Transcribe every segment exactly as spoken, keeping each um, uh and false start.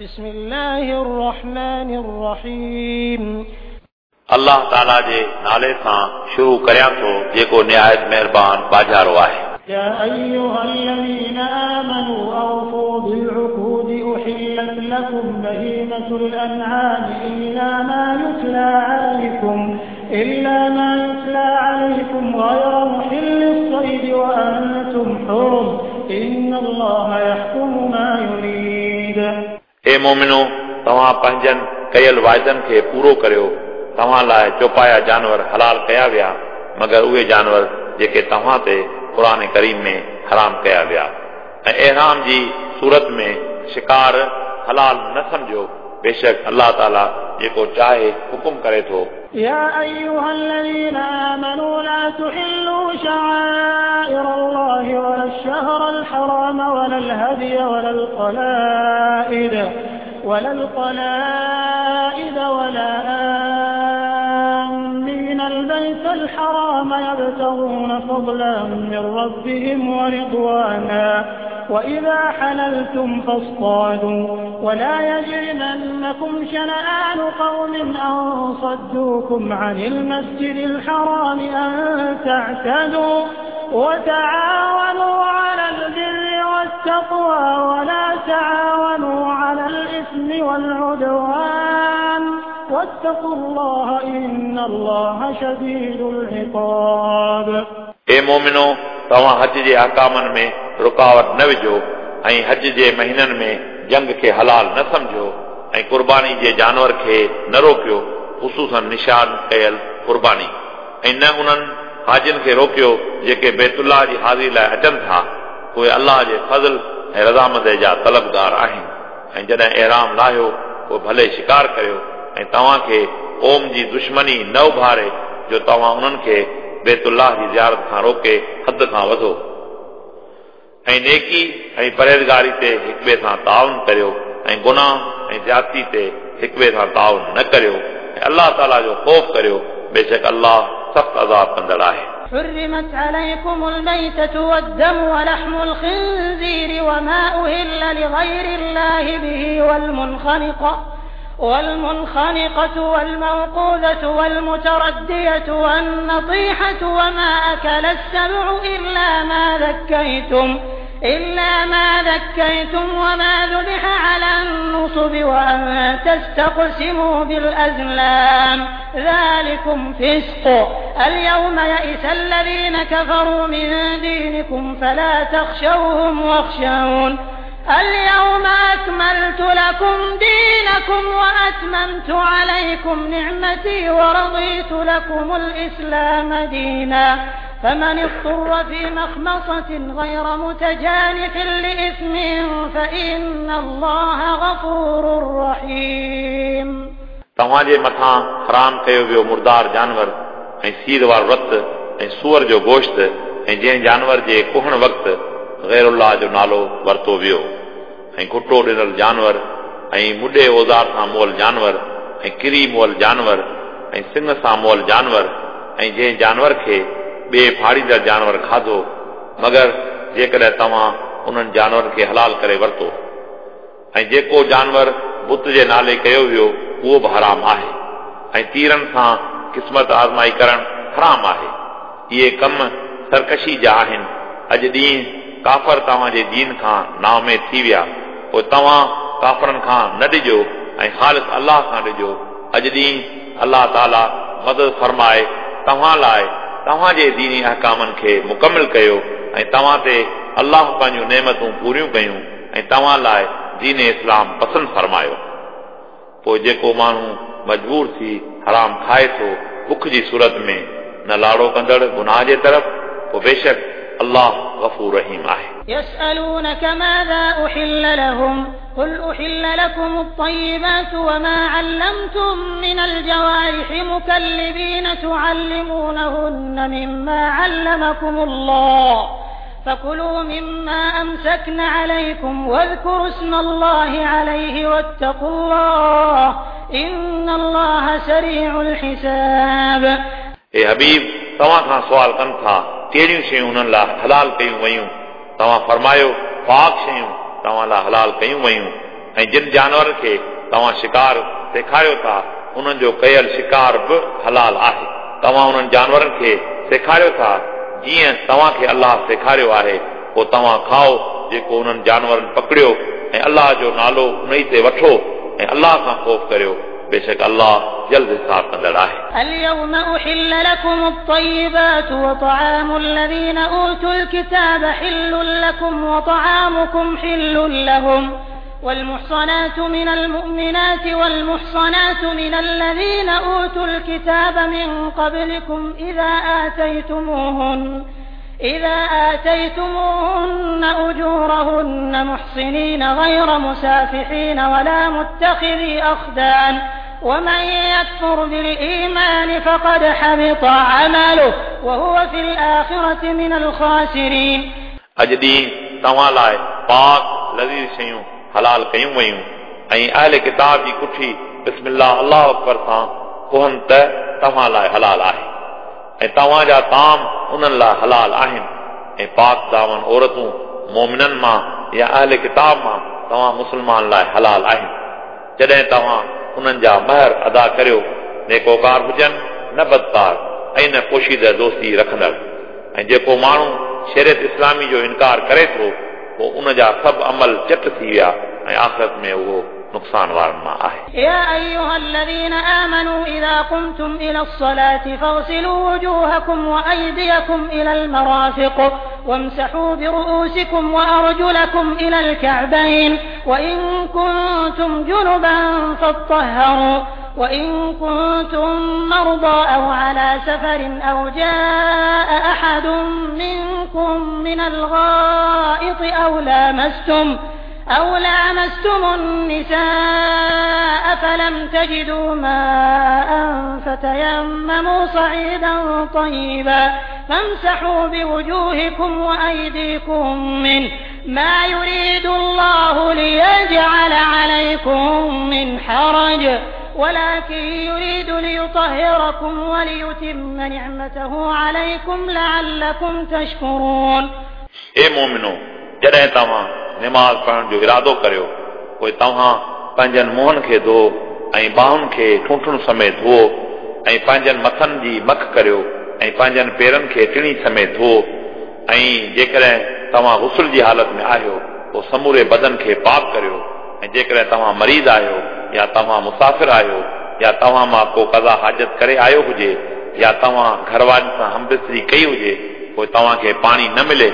بسم الله الرحمن الرحيم. الله تعالى جي نالي سان شروع ڪريان ٿو جيڪو نهايت مهربان باجارو آهي. يا أيها الذين آمنوا أوفوا بالعقود أحلت لكم بهيمة الأنعام إلا ما يتلى عليكم إلا ما يتلى عليكم غير محل الصيد وأنتم حرم إن الله يحكم ما يريد. اے مومنو، توهان پنهنجن ڪيل واعدن کي پورو ڪريو. توهان لاءِ چوپايا جانور حلال ڪيا ويا، مگر اهي جانور جيڪي توهان تي قرآن ڪريم ۾ حرام ڪيا ويا. ۽ احرام جي صورت ۾ شڪار حلال نه سمجهو. بيشڪ الله تعاليٰ جيڪو چاهي حڪم ڪري ٿو. يا أيها الذين آمنوا لا تحلوا شعائر الله ولا الشهر الحرام ولا الهدي ولا القلائد ولا القلائد ولا آمين البيت الحرام يبتغون فضلا من ربهم ورضوانا وإذا حللتم فاصطادوا ولا يجرمنكم شنآن قوم أن صدوكم عن المسجد الحرام أن تعتدوا وتعاونوا على البر والتقوى ولا تعاونوا على الإثم والعدوان واتقوا الله إن الله شديد العقاب. اے مومنو، توهان حج جي احڪامن ۾ رڪاوٽ نه وجهو ۽ حج جي مهينن ۾ جنگ کي حلال نه سمجهو ۽ قرباني جي جانور کي نه روڪيو، خصوصن نشان ڪيل قرباني، ۽ نه انهن حاجين کي روڪيو جيڪي بيت الله جي حاضري لاءِ اچن ٿا. اهي الله جي فضل ۽ رضامندي جا طلبگار آهن. ۽ جڏهن احرام لاهيو پوءِ ڀلي شڪار ڪريو ۽ توهان کي قوم جي دشمني نه اڀاري جو توهان انهن کي بيت الله جي زيارت کان روڪي حد کان وڌو. ۽ نيڪي ۽ پرهيزگاري تي هڪ ٻئي سان تعاون ڪريو ۽ گناهه ۽ زيادتي تي هڪ ٻئي سان تعاون نه ڪريو ۽ الله تعاليٰ جو خوف ڪريو. بيشڪ الله سخت عذاب ڪندڙ آهي. حرمت عليكم الميتة والدم ولحم الخنزير وما أهل لغير الله به والمنخنقة والمنخنقة والموقوذة والمتردية والنطيحة وما أكل السبع إلا ما ذكيتم إلا ما ذكيتم وما ذبح على النصب وأن تستقسموا بالأزلام ذلكم فسق. اليوم يئس الذين كفروا من دينكم فلا تخشوهم واخشون. اليوم أكملت لكم دينكم وأتممت عليكم نعمتي ورضيت لكم الإسلام دينا. فمن اضطر في مخمصة غير متجانف لإثم فإن الله غفور رحيم. توهان جي مٿان حرام ڪيو ويو مردار جانور ۽ سير وارو رت ۽ سوئر جو گوشت ۽ جنهن جانور جي ڪهڻ وقت غير الله جو نالو ورتو ويو ۽ گهٽو ڏنل جانور ۽ مڏي اوزار سان مئل جانور ۽ ڪري مئل جانور ۽ سڱ سان مئل جانور ۽ جنهن جانور کي ٻئي ڦاڙيندڙ جانور کاڌو، مگر جيڪڏهن توهان انهن جانورن کي حلال ڪري ورتو. ۽ جيڪو جانور بت جي نالي ڪيو ويو اهو به حرام آهي ۽ تيرن سان قسمت آزمائي ڪرڻ حرام آهي. اهي ڪم سرڪشي جا آهن. اڄ ڏينهن ڪافر توهان جي دين کان نااميد ٿي ويا، پوءِ توهان ڪافرن کان نه ڏجو ۽ خالص الله کان ڏجو. اڄ ڏينهن الله تعاليٰ مدد فرمائي توهان لاءِ توهان جي ديني احڪامن کي مڪمل ڪيو ۽ توهان تي الله پنهنجون نعمتون پوريون ڪيون ۽ توهان لاءِ دين اسلام پسند فرمايو. پوءِ جيڪو ماڻهو مجبور ٿي حرام کائي ٿو بک جي صورت ۾ نه لاڙو ڪندڙ گناهه جي طرف، پوءِ بيشڪ الله غفور رحيم آهي. يسألونك ماذا أحل لهم قل أحل لكم الطيبات وما علمتم من الجوارح مكلبين تعلمونهن مما علمكم الله فكلوا مما أمسكن عليكم واذكروا اسم الله عليه واتقوا الله إن الله سريع الحساب. اے حبيب، توهان کان سوال ڪن ٿا ڪهڙيون شيون انهن لاءِ حلال ڪيون ويون؟ توهان فرمايو پاڪ شيون توهان لاءِ حلال ڪيون ويون ऐं जिन जानवरनि खे तव्हां शिकार सेखारियो था उन्हनि जो कयल शिकार बि हलाल आहे। तव्हां उन्हनि जानवरनि खे सेखारियो था जीअं तव्हांखे अल्लाह सेखारियो आहे, पोइ तव्हां खाओ जेको उन्हनि जानवरनि पकड़ियो ऐं अल्लाह जो नालो उन ई ते वठो ऐं अल्लाह खां ख़ौफ़ करियो, बेशक अल्लाह जल्द हिसाब कंदड़ आहे। اليوم أحل لكم الطيبات وطعام الذين أوتوا الكتاب حل لكم وطعامكم حل لهم والمحصنات من المؤمنات والمحصنات من الذين أوتوا الكتاب من قبلكم إذا آتيتموهن إذا آتيتموهن أجورهن محصنين غير مسافحين ولا متخذي أخدان ومن يكفر بالإيمان فقد حبط عمله وهو في الآخرة من الخاسرين। अॼु ॾींहुं तव्हां लाइ पाक लज़ीज़ शयूं हलाल कयूं वयूं ऐं अहले किताब जी कुठी बिस्मिल्लाह अल्लाह अकबर सां कुहनि त तव्हां लाइ हलाल आहे ऐं तव्हांजा ताम उन्हनि लाइ हलाल आहिनि ऐं पाक दामन औरतूं मोमिननि मां या अहले किताब मां तव्हां मुस्लमान लाइ हलाल आहिनि। जॾहिं तव्हां उन्हनि जा महर अदा करियो, नेकोकार हुजनि न बदकार ऐं न पोशीदा दोस्ती रखंदड़। ऐं जेको माण्हू शरीयत इस्लामी जो इनकार करे थो पोइ उन जा सभु अमल चट थी विया ऐं आख़िरत में उहो नुक़सान वारनि मां आहे। يا أيها الذين آمنوا إذا قمتم إلى الصلاة فاغسلوا وجوهكم وأيديكم إلى المرافق وامسحوا برؤوسكم وأرجلكم إلى الكعبين وإن كنتم جنبا فاطهروا وإن كنتم مرضى أو على سفر أو جاء أحد منكم من الغائط أو لامستم أو لامستم النساء فلم تجدوا ماء فتيمموا صعيدا طيبا فامسحوا بوجوهكم وأيديكم منه ما يريد الله ليجعل عليكم من حرج ولكن يريد ليطهركم وليتم نعمته عليكم لعلكم تشكرون। ए मोमिनो, जॾहिं तव्हां निमाज़ पढ़ण जो इरादो करियो पोइ तव्हां पंहिंजनि मुंहनि खे धो ऐं ॿाहुनि खे ठूठुनि समेत धो ऐं पंहिंजनि मथनि जी मख करियो ऐं पंहिंजनि पेरनि खे टिणी समेत धो ऐं जेकॾहिं तव्हां गुसल जी हालत में आहियो पोइ समूरे बदन खे पाक करियो ऐं जेकॾहिं तव्हां मरीज़ आहियो या तव्हां मुसाफ़िर आहियो या तव्हां मां को कज़ा हाजत करे आयो हुजे या तव्हां घरवारनि सां हमबिस्तरी कई हुजे पोइ तव्हांखे पाणी न मिले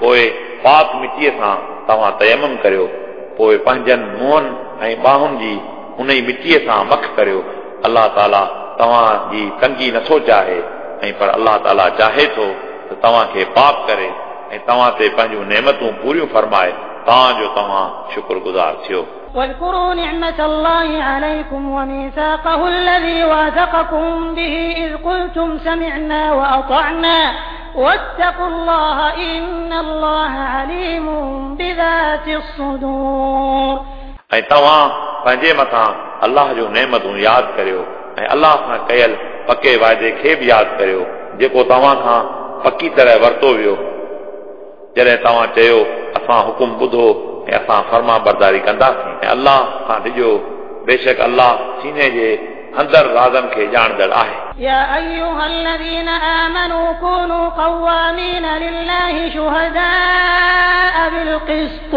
पोइ पाक मिटीअ सां तव्हां तयमम करियो, पोइ पंहिंजनि मुंहनि ऐं ॿाहुनि जी उन ई मिटीअ सां मख करियो। अल्लाह ताला तव्हां जी तंगी नथो चाहे ऐं पर अल्लाह ताला चाहे थो त तव्हांखे पाक करे ऐं तव्हां ते पंहिंजूं नेमतूं पूरियूं फरमाए तां जो तव्हां शुक्रगुज़ार थियो। واذكروا نعمة الله عليكم وميثاقه الذي واثقكم به إذ قلتم سمعنا وأطعنا واتقوا الله إن الله عليم بذات الصدور। ऐं तव्हां पंहिंजे मथां अल्लाह जूं नेमतूं यादि करियो ऐं अल्लाह सां कयल पके वाइदे खे बि यादि करियो जेको तव्हां खां पकी तरह वरितो वियो। जॾहिं तव्हां चयो असां हुकुम ॿुधो ऐं असां फर्मा बरदारी कंदासीं ऐं अल्लाह खां ॾिजो, बेशक अल्लाह सीने जे अंदरि राज़नि खे ॼाणंदड़ आहे। يا أيها الذين آمنوا كونوا قوامين لله شهداء بالقسط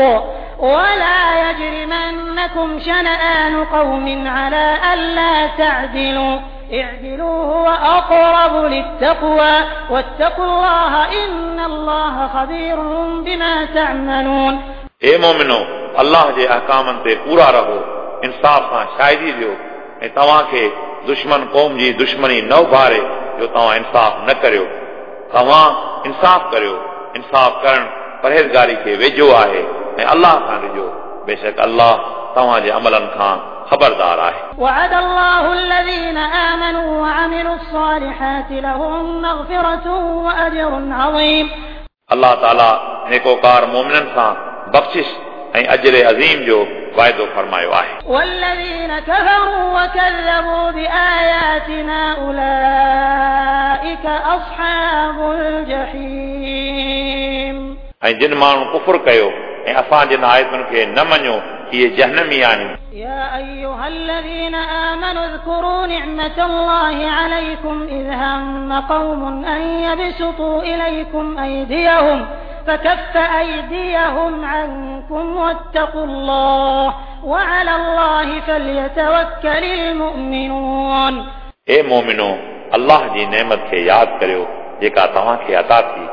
ولا يجرمنكم شنآن قوم على ألا تعدلوا اعدلوا هو أقرب للتقوى واتقوا الله إن الله خبير بما تعملون। ए मोमिनो, अल्लाह जे अहकामनि ते पूरा रहो, इंसाफ़ सां शाहिदी ॾियो ऐं तव्हांखे दुश्मन क़ौम जी दुश्मनी न उभारे जो तव्हां इंसाफ़ न करियो। तव्हां इंसाफ़ करियो, इंसाफ़ करणु परहेज़गारी खे वेझो आहे ऐं अल्लाह खां ॾिजो, बेशक अल्लाह तव्हांजे अमलनि खां ख़बरदार आहे। وعد الله الذين آمنوا وعملوا الصالحات لهم مغفرة وأجر عظيم। अल्लाह ताला नेकोकार मोमिननि सां बख़्शिश ऐं अजर अज़ीम जो वाइदो फरमायो आहे। والذين كفروا وكذبوا بآياتنا أولئك أصحاب الجحيم। ऐं जिन माण्हू कुफुर कयो ऐं असां जिन आयतुनि खे न मञियो इहे जहनमी आहिनि। يا أيها الذين آمنوا اذكروا نعمة الله عليكم إذ هم قوم أن يبسطوا إليكم أيديهم فكف أيديهم عنكم واتقوا الله وعلى الله فليتوكل المؤمنون। ए मोमिनो, अल्लाह जी नेमत खे यादि करियो जेका तव्हांखे अता थी।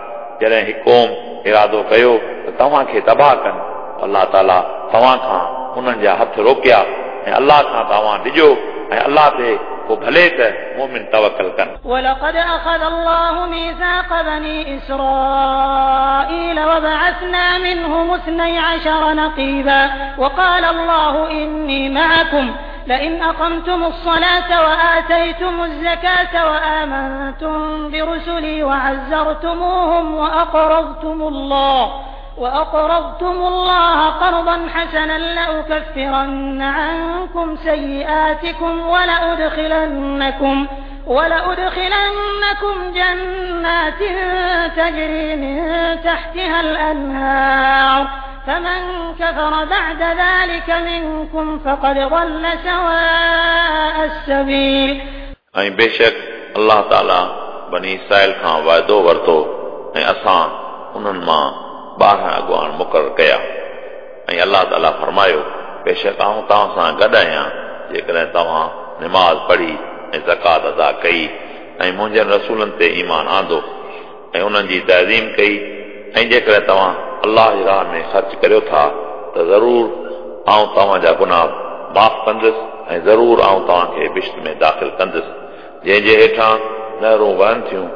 जॾहिं हिकु क़ौम इरादो कयो त तव्हांखे तबाह कनि, अल्लाह ताला तव्हां खां उन्हनि जा हथ रोकिया ऐं अल्लाह खां तव्हां डिॼो ऐं अल्लाह ते पोइ भले त मोमिन तवकल कनि। ولقد أخذ الله ميثاق بني إسرائيل وبعثنا منهم اثني عشر نقيبا وقال الله إني معكم لئن أقمتم الصلاة وآتيتم الزكاة وآمنتم برسلي وعزرتموهم وأقرضتم الله وأقرضتم الله قرضا حسنا لأكفرن عنكم سيئاتكم ولأدخلنكم ولأدخلنكم جنات تجري من تحتها الأنهار فمن كفر بعد ذلك منكم فقد ضل سواء السبيل। ऐं बेशक अल्लाह ताला बनी इसराइल खां वाइदो वरितो ऐं असां उन्हनि मां ॿारहं अॻुवान मुक़ररु कया ऐं अल्लाह ताला फरमायो, बेशक आउं तव्हां सां गॾु आहियां जेकॾहिं तव्हां निमाज़ पढ़ी ऐं ज़कात अदा कई ऐं मुंहिंजनि रसूलनि ते ईमान आंदो ऐं उन्हनि जी तज़ीम कई ऐं जेकॾहिं तव्हां अल्लाह जी राह में ख़र्च करियो था त ज़रूर आउं तव्हांजा गुनाह माफ़ कंदुसि ऐं ज़रूर आउं तव्हांखे बिश्त में दाख़िल कंदुसि जंहिंजे हेठां नहरूं वहनि थियूं।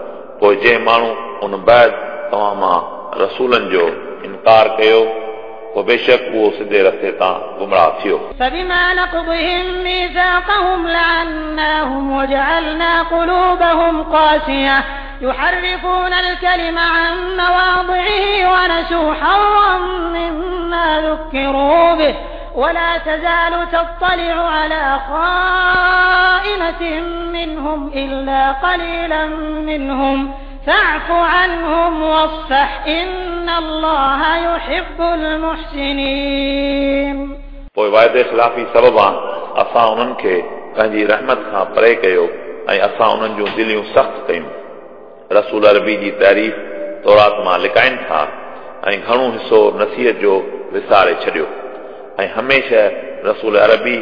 पोइ जंहिं माण्हू उन बाद तव्हां मां रसूलनि जो इनकार कयो पोइ बेशक उहो सिधे रस्ते तां गुमराह थियो। فبما نقضهم ميثاقهم لعناهم وجعلنا قلوبهم قاسية يحرفون الكلم عن مواضعه ونسوا حظا مما ذكروا به ولا تزال تطلع على خائنة منهم إلا قليلا منهم فاعف عنهم واصفح إن الله يحب المحسنين। पोइ वाइदे ख़िलाफ़ी सबबा असां उन्हनि खे पंहिंजी रहमत खां परे कयो ऐं असां उन्हनि जूं दिलियूं सख़्तु कयूं। रसूल अरबी जी तारीफ़ तौरात मां लिकाइनि था ऐं घणो हिसो नसीहत जो विसारे छॾियो ऐं हमेशह रसूल अरबी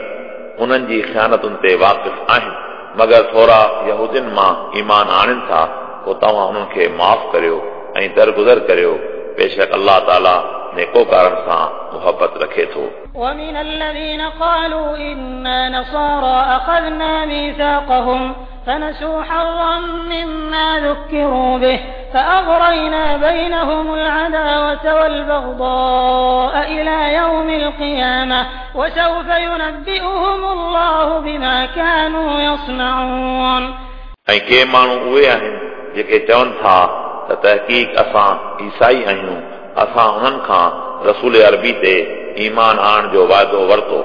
उन्हनि जी ख़ियानतुनि ते वाक़िफ़ आहिनि, मगर थोरा यहूदियुनि मां ईमान आणनि था, पोइ तव्हां उन्हनि खे माफ़ करियो ऐं दरगुज़र करियो। बेशक अल्लाह ताला नेकोकारनि सां मुहबत रखे थो। ومن الذين قالوا إنا نصارى أخذنا ميثاقهم فنسوا حظا مما ذكروا به فأغرينا بينهم العداوة والبغضاء إلى يوم القيامة وسوف ينبئهم الله بما كانوا يصنعون। ऐं के माण्हू उहे आहिनि जेके चवनि था त तहक़ीक़ असां ईसाई आहियूं, असां उन्हनि खां रसूल अरबी ते ईमान आणण जो वाइदो वरितो,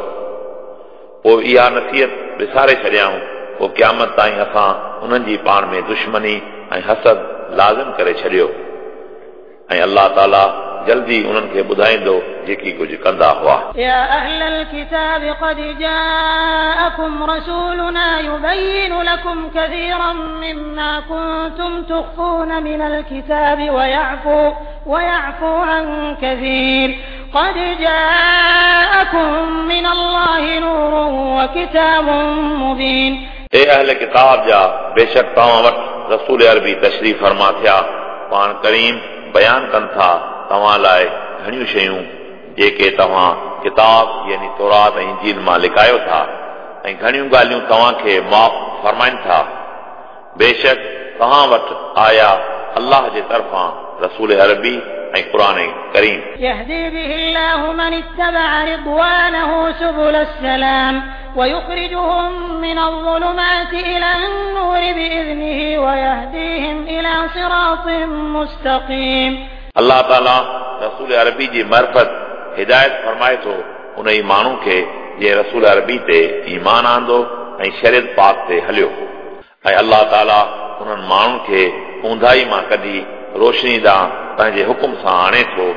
पोइ इहा नसीहत विसारे छॾियाऊं, पोइ क़यामत ताईं असां उन्हनि जी पाण में दुश्मनी ऐं हसद लाज़िम करे छॾियो ऐं अल्लाह ताला जल्दी उन्हनि खे ॿुधाईंदो जेकी कुझु कंदा हुआ। يا أهل الكتاب قد جاءكم رسولنا يبين لكم كثيرا مما كنتم تخفون من الكتاب ويعفو ويعفو عن كثير قد جاءكم من الله نور وكتاب مبين। ए अहल किताब जा, बेशक तव्हां वटि रसूल अरबी तशरीफ़ फरमा थिया, पाण करीम बयान कनि था तव्हां लाइ घणियूं शयूं जेके तव्हां किताब यानी तौरात ऐं इंजील मां लिकायो था ऐं घणियूं ॻाल्हियूं तव्हांखे माफ़ फरमाइनि था। बेशक तव्हां वटि आया अल्लाह जे तरफ़ां रसूल अरबी ऐं क़ुर करीम। يهدي به الله من اتبع رضوانه سبل السلام ويخرجهم من الظلمات إلى النور بإذنه ويهديهم إلى صراط مستقيم। अल्लाह ताला रसूल अरबी जी मर्फत हिदायत फरमाए थो उन ई माण्हू खे जंहिं रसूल अरबी ते ईमान आंदो ऐं शरीयत पाक ते हलियो ऐं अल्लाह ताला उन्हनि माण्हुनि खे ऊंधाई मां कढी रोशनी ॾांहुं पंहिंजे हुकुम सां आणे थो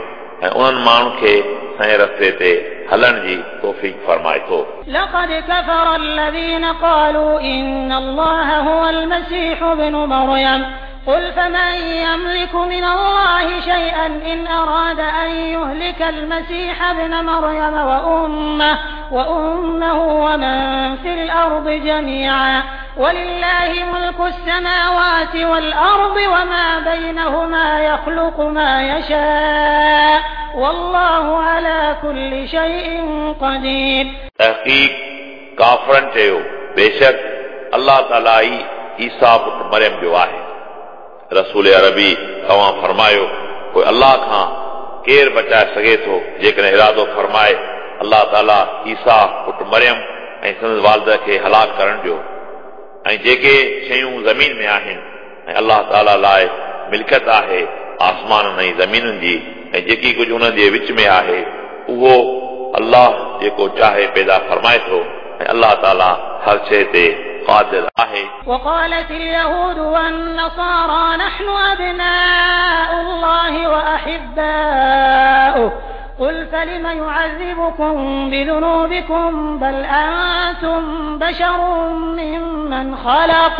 ऐं उन्हनि माण्हुनि खे सही रस्ते ते हलण जी तौफीक फरमाए थो। لقد كفر الذين قالوا إن الله هو المسيح ابن مريم قل فمن يملك من الله شيئا إن أراد أن يهلك المسيح ابن مريم وأمه, وأمه ومن في الأرض جميعا ولله ملك السماوات والأرض وما بينهما يخلق ما يشاء والله على كل شيء قدير. تحقیق काफ़रनि चयो बेशक अल्लाह ताला ई ईसा पुट मरियम जो आहे। रसूल अरबी तव्हां फरमायो पोइ अल्लाह खां केरु बचाए सघे थो जेकॾहिं इरादो फरमाए अल्लाह ताला ईसा पुट मरियम ऐं संदसि वालिद खे हलाक करण जो ऐं जेके शयूं ज़मीन में आहिनि ऐं अल्लाह ताला लाइ मिल्कियत आहे आसमाननि ऐं ज़मीनुनि जी ऐं जेकी कुझु उन्हनि जे विच में आहे उहो अल्लाह जेको चाहे पैदा फरमाए थो ऐं अल्लाह ताला हर शइ ते क़ादिर आहे। وقالت اليهود والنصارى نحن أبناء الله وأحباؤه قل فلم يعذبكم بذنوبكم بل أنتم بشر ممن خلق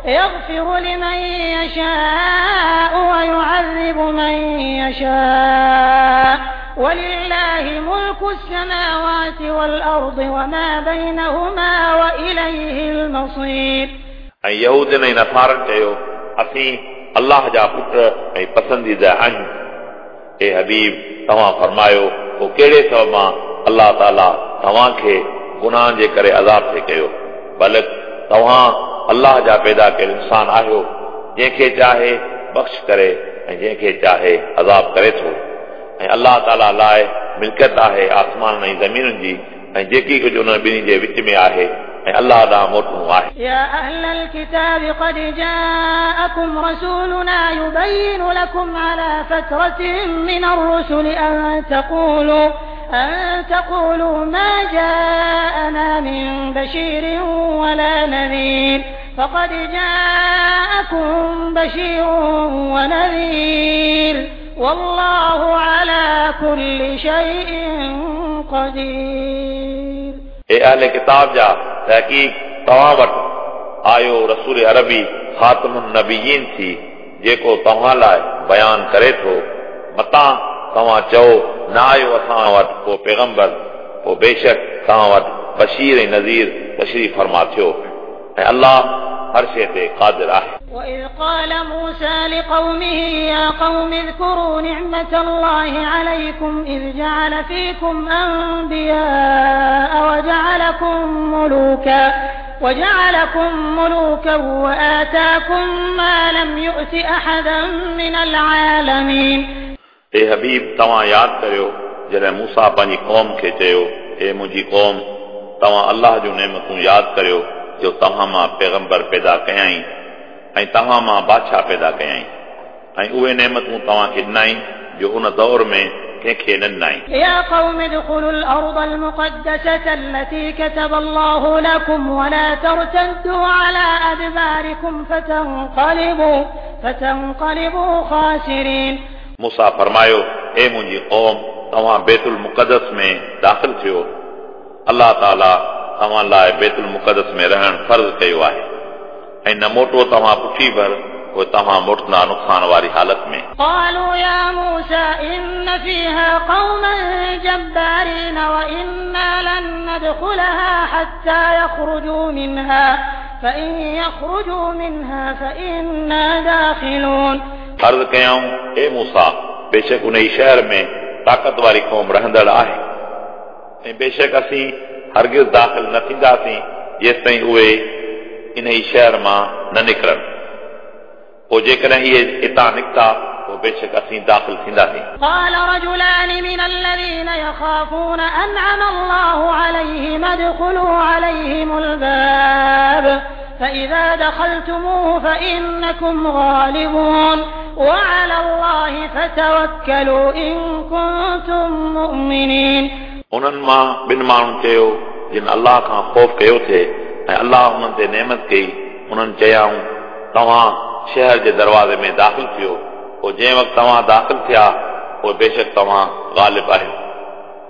يغفر لمن يشاء ويعذب من يشاء ولله ملك السماوات والأرض وما بينهما وإليه المصير. ऐं यहूदियुनि ऐं नसारनि चयो असीं अल्लाह जा पुट ऐं पसंदीदा आहियूं। ए हबीब तव्हां फरमायो पोइ कहिड़े सबब मां अल्लाह ताला तव्हांखे गुनाहनि जे करे अज़ाब थे कयो? बल्कि तव्हां अल्लाह जा पैदा कयल इंसान आहियो जंहिंखे चाहे बख़्श करे ऐं जंहिंखे चाहे अज़ाब करे थो। ऐं अल्लाह ताला लाइ मिल्कियत आहे आसमान ऐं ज़मीनुनि जी ऐं जेकी कुझु उन्हनि ॿिन्ही जे विच में आहे ऐं अल्लाह ॾांहुं मोटणो आहे। يا أهل الكتاب قد جاءكم رسولنا يبين لكم على فترة من الرسل أن تقولوا أن تقولوا ما جاءنا من بشير ولا نذير فقد جاءكم بشير ونذير والله على كل شيء قدير. ए अहले किताब जा तहक़ीक़ तव्हां वटि आयो रसूल अरबी ख़ातमुन नबीयीन थी जेको तव्हां लाइ बयान करे थो मतां तव्हां चओ न आयो असां वटि को पैगंबर पोइ बेशक तव्हां वटि बशीर ऐं नज़ीर तशरीफ़ फरमा थियो ऐं अल्लाह हर शइ ते क़ादिर आहे। وإذ قال موسى لقومه يا قوم اذكروا نعمة الله عليكم إذ جعل فيكم أنبياء وجعلكم ملوكا وجعلكم ملوكا وآتاكم ما لم يؤت أحدا من العالمين. ए हबीब तव्हां यादि करियो जॾहिं मूसा पंहिंजी क़ौम खे चयो ए मुंहिंजी क़ौम तव्हां अल्लाह जूं नेमतूं यादि करियो जो तव्हां मां पैगंबर पैदा कयाई ऐं तव्हां मां बादशाह पैदा कयाई ऐं उहे नेमतूं तव्हांखे ॾिनाई जो उन दौर में कंहिंखे न ॾिनाई। يا قوم ادخلوا الأرض المقدسة التي كتب الله لكم ولا ترتدوا على أدباركم فتنقلبوا فتنقلبوا خاسرين. मूसा फरमायो ए मुंहिंजी क़ौम तव्हां बैतुल मुक़दस में दाख़िल थियो अल्लाह ताला तव्हां लाइ बैतुल मुक़दस में रहणु फ़र्ज़ कयो आहे ऐं न मोटो तव्हां पुठी भर पोइ तव्हां मोटंदा नुक़सान वारी हालत में। قالوا يا موسى إن فيها قوما جبارين وإنا لن ندخلها حتى يخرجوا منها فإن يخرجوا منها فإنا داخلون. अर्ज़ कयाऊं ए मूसा बेशक उन शहर में ताक़त वारी क़ौम रहंदड़ आहे ऐं बेशक असीं हरगिज़ दाख़िल न थींदासीं जेसिताईं उहे इन शहर मां न निकिरनि पोइ जेकॾहिं इहे हितां निकिता पोइ बेशक असीं दाख़िल थींदासीं। قال رجلان من الذين يخافون أنعم الله عليهم ادخلوا عليهم الباب فإذا دخلتموه فإنكم غالبون وعلى الله فتوكلوا إن كنتم مؤمنين. उन्हनि मां ॿिनि माण्हुनि चयो जिन अल्लाह खां ख़ौफ़ कयो थिए ऐं अल्लाह उन्हनि ते नेमत कई उन्हनि चयाऊं तव्हां शहर जे दरवाज़े में दाख़िल थियो पोइ जंहिं वक़्तु तव्हां दाख़िल थिया पोइ बेशक तव्हां ग़ालिब आहियो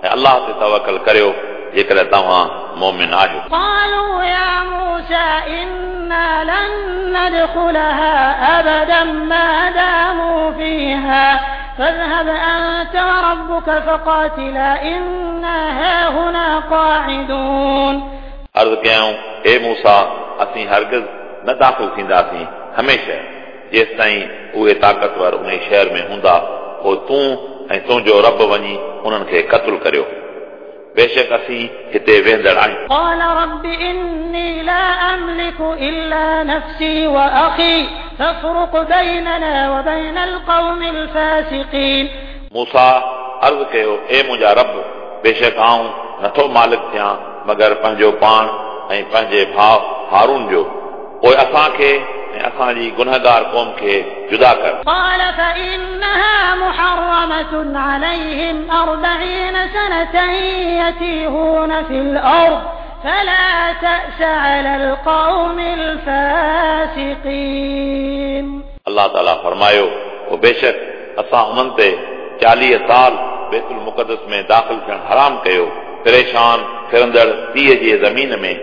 ऐं अल्लाह ते तवकल करियो जेकॾहिं तव्हां मोमिन आहियो। قالوا يا موسى إنا لن ندخلها أبدا ما داموا فيها فاذهب أنت وربك فقاتلا إنا هاهنا قاعدون। अर्ज़ कयाऊं, हे मूसा, असीं हरगिज़ न दाख़िल थींदासीं हमेशह जेसिताईं उहे ताक़तवर उन शहर में हूंदा, पोइ तूं ऐं तुंहिंजो रब वञी उन्हनि खे क़तलु करियो, बेशक असीं हिते वेंदड़ आहियूं। قال رب إني لا أملك إلا نفسي وأخي فافرق بيننا وبين القوم الفاسقين। मूसा अर्ज़ कयो, ए मुंहिंजा रब, बेशक आऊं नथो मालिक थियां मगर पंहिंजो पाण ऐं पंहिंजे भाउ हारून जो, पोइ असांखे ऐं असांजी गुनहगार क़ौम खे जुदा कर। قال فإنها محرمة عليهم أربعين سنة يتيهون في الأرض فلا تأس على القوم الفاسقين। अल्लाह ताला फरमायो, पोइ बेशक असां उन्हनि ते चालीह साल बैतुल मुक़द्दस में दाख़िल थियणु हराम कयो, परेशान फिरंदड़ पीउ जे ज़मीन में,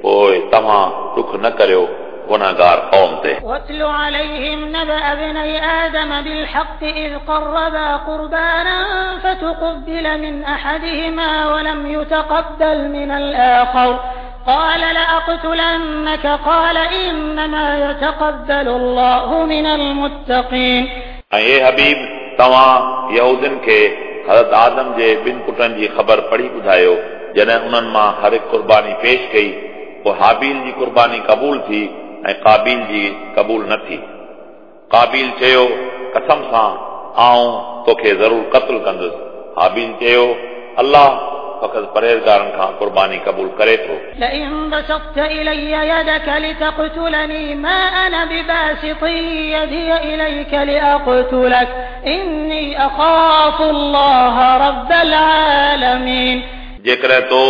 पोइ तव्हां दुख न करियो गुनहगार क़ौम ते। واتل عليهم نبأ ابني آدم بالحق إذ قربا قربانا فتقبل من أحدهما ولم يتقبل من الآخر قال لأقتلنك قال إنما يتقبل الله من المتقين। ऐं हे हबीब, तव्हां यहूदियुनि खे हज़रत आदम जे ॿिनि पुटनि जी ख़बर पढ़ी ॿुधायो, जॾहिं उन्हनि मां हर हिकु क़ुर्बानी पेश कई, पोइ हाबील जी क़ुर्बानी क़बूल थी ऐं काबिल जी क़बूल न थी। काबिल चयो, कसम सां आऊं तोखे ज़रूर क़तलु कंदुसि। हाबील चयो, अल्लाह फ़क़ति परहेज़गारनि खां क़ुर्बानी क़बूल करे थो। لئن بسطت إلي يدك لتقتلني ما أنا بباسط يدي إليك لأقتلك إني أخاف الله رب العالمين। जेकॾहिं तो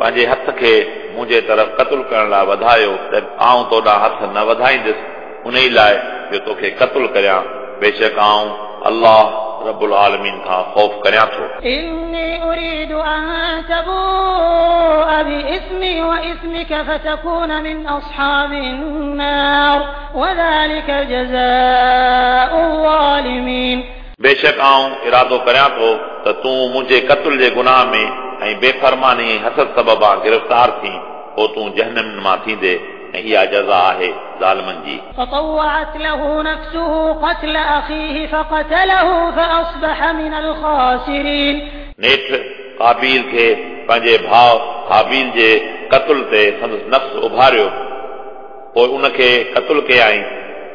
पंहिंजे हथ खे मुंहिंजे तरफ़ क़तलु करण लाइ वधायो त आऊं तो ॾांहुं हथ न वधाईंदुसि उन ई लाइ जो तोखे क़तलु करियां, बेशक आऊं अल्लाह रब्बुल आलमीन खां ख़ौफ़ करियां थो। إني أريد أن تبوء بإثمي وإثمك فتكون من أصحاب النار وذلك جزاء الظالمين। बेशक आऊं इरादो करियां थो त तूं मुंहिंजे क़तल जे गुनाह में ऐं बेफरमानी ऐं हसद सबबा गिरफ़्तार थी, पोइ तूं जहनम मां थींदे, ऐं इहा जज़ा आहे ज़ालिमनि जी। فطوعت له نفسه قتل أخيه فقتله فأصبح من الخاسرين। नेठि काबील खे पंहिंजे भाउ हाबील जे क़तल ते संदसि नफ़्स उभारियो, पोइ उनखे क़तल कयाईं,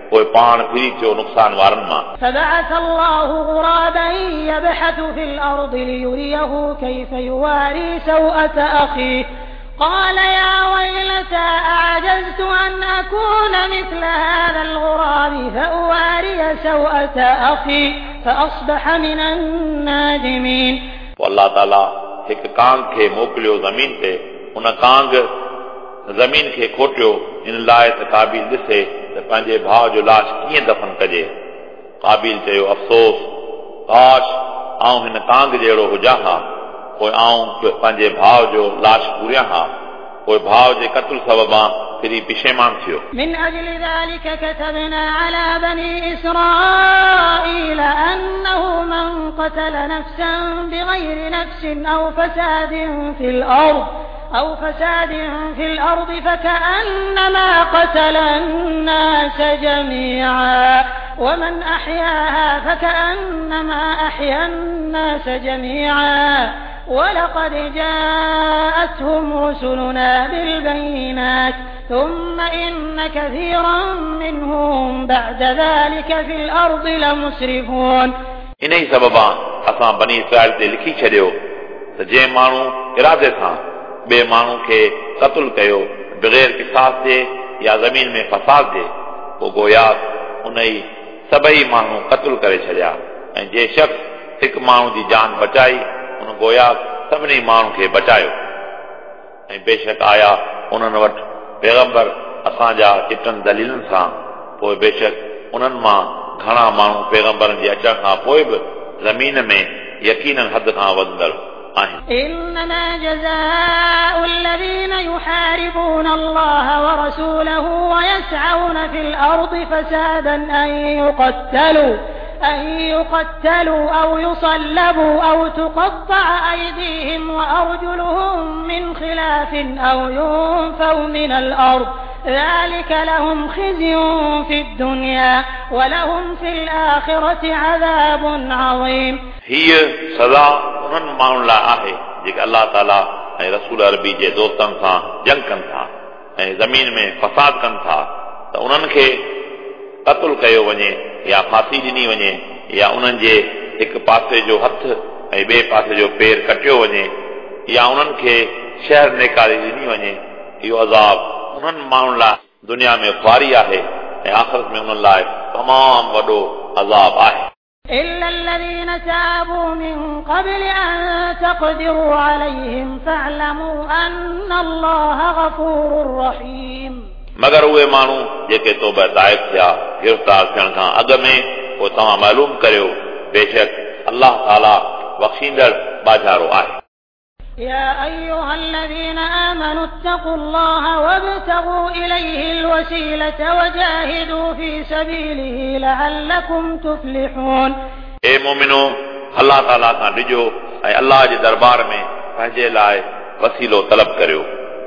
पोइ पाण फिरी थियो नुक़सान वारनि मां। فبعث الله غرابا يبحث في الأرض ليريه كيف يواري سوءة أخيه قال يا ويلتى أعجزت أن أكون مثل هذا الغراب فأواري سوءة أخي فأصبح من النادمين। पोइ अल्लाह ताला हिकु कांग खे मोकिलियो ज़मीन ते, उन कांग ज़मीन खे खोटियो इन लाइ त काबिल ॾिसे त पंहिंजे भाउ जो लाश कीअं दफ़न कजे। काबिल चयो, अफ़सोस, काश आऊं हिन कांग जहिड़ो हुजां हा, पोइ आऊं पंहिंजे भाउ जो लाश पूरियां हा, पोइ भाउ जे क़तल सबबां फिरी पिशेमान थियो। من أجل ذلك كتبنا على بني إسرائيل أنه من قتل نفسا بغير نفس أو فساد في الأرض أو فساد في الأرض فكأنما قتل الناس جميعا ومن أحياها فكأنما أحيا الناس جميعا ولقد جاءتهم رسلنا بالبينات ثم إن كثيرا منهم بعد ذلك في الأرض لمسرفون। इन ई सबबां असां बनी इसराइल ते लिखी छॾियो त जंहिं माण्हू इरादे सां ॿिए माण्हू खे क़तल कयो बग़ैर क़िसास जे या ज़मीन में फसाद जे, पोइ गोया उन ई सभई माण्हू क़तल करे छॾिया, ऐं जंहिं शख़्स हिकु माण्हू जी जान बचाई उन गोया सभिनी माण्हू खे बचायो। ऐं बेशक आया उन्हनि वटि पैगंबर असांजा चिटनि दलीलनि सां, पोइ बेशक उन्हनि मां घणा माण्हू पैगंबरनि जे अचण खां पोइ बि ज़मीन में यकीनन हद खां वधंदड़ आहिनि। إنما جزاء الذين يحاربون الله ورسوله ويسعون في الأرض فسادا أن يقتلوا أن يقتلوا أو يصلبوا أو تقطع أيديهم وأرجلهم من خلاف أو ينفوا من الأرض ذلك لهم خزي في الدنيا ولهم في الآخرة عذاب عظيم। हीअ सज़ा उन्हनि माण्हुनि लाइ आहे जेके अलाह ताला ऐं रसूल अरबी जे दोस्तनि सां जंग कनि था ऐं ज़मीन में फसाद कनि था त उन्हनि खे क़तल कयो वञे या फांसी ॾिनी वञे या उन्हनि जे हिकु पासे जो हथु ऐं ॿिए पासे जो पेर कटियो वञे या उन्हनि खे शहर निकाली ॾिनी वञे। इहो अज़ाब उन्हनि माण्हुनि लाइ दुनिया में ख़्वारी आहे ऐं आख़िरत में उन्हनि लाइ तमामु वॾो अज़ाब आहे। إلا الذين تابوا من قبل أن تقدروا عليهم فاعلموا أن الله غفور رحيم। मगर उहे माण्हू जेके तौबा ताइब थिया गिरफ़्तार थियण खां अॻु में पोइ तव्हां मालूम करियो बेशक अलाह ताला बख़्शींदड़ बाजारो आहे। يا أيها الذين آمنوا اتقوا الله وابتغوا إليه الوسيلة وجاهدوا في سبيله لعلكم تفلحون। ए मोमिनो, अलाह ताला खां डिॼो ऐं अलाह जे दरबार में पंहिंजे लाइ वसीलो तलब करियो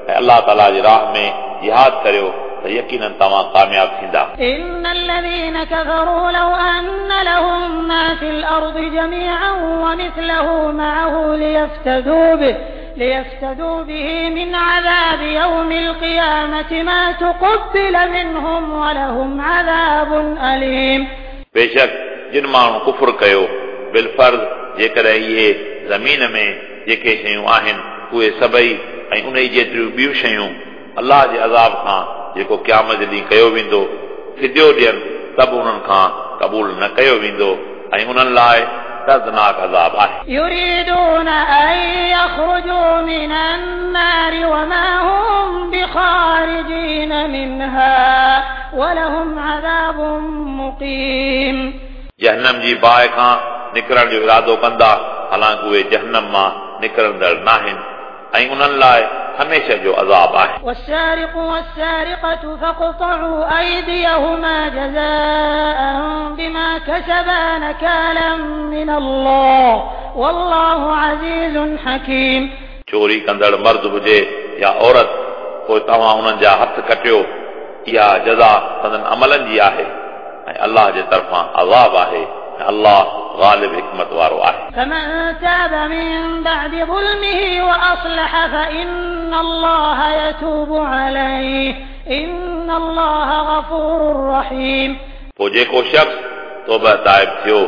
ऐं अलाह ताला जी राह में जिहाद करियो त यकीनन तव्हां कामयाब थींदा। إن الذين كفروا لو أن لهم ما في الأرض جميعا ومثله معه ليفتدوا به ليفتدوا به من عذاب يوم القيامة ما تقبل منهم ولهم عذاب أليم। बेशक जिन माण्हुनि कुफुर कयो बिलफर्ज़ जेकॾहिं इहे ज़मीन में जेके शयूं आहिनि उहे सभई ऐं उन जेतिरियूं ॿियूं शयूं अलाह जे अज़ाब खां जेको क़यामत ॾींहुं कयो वेंदो फिदियो ॾियनि त बि उन्हनि खां क़बूल न कयो वेंदो ऐं उन्हनि लाइ दर्दनाक अज़ाब आहे। يريدون أن يخرجوا من النار وما هم بخارجين منها ولهم عذاب مقيم। जहन्नम जी बाहि खां निकिरण जो इरादो कंदा हालांकि उहे जहन्नम मां निकिरंदड़ नाहिनि ऐं उन्हनि लाइ हमेशह जो अज़ाब आहे। والسارق والسارقة فاقطعوا أيديهما جزاء بما كسبا نكالا من الله والله عزيز حكيم। चोरी कंदड़ मर्द हुजे या औरत पोइ तव्हां उन्हनि जा हथ कटियो, इहा जज़ा संदन अमलनि जी आहे ऐं अलाह जे तरफ़ां अज़ाब आहे ऐं अलाह ग़ालिब हिकमत वारो आहे। فمن تاب من بعد ظلمه وأصلح فإن الله يتوب عليه إن الله غفور رحيم। पोइ जेको शख़्स तौबा ताइब थियो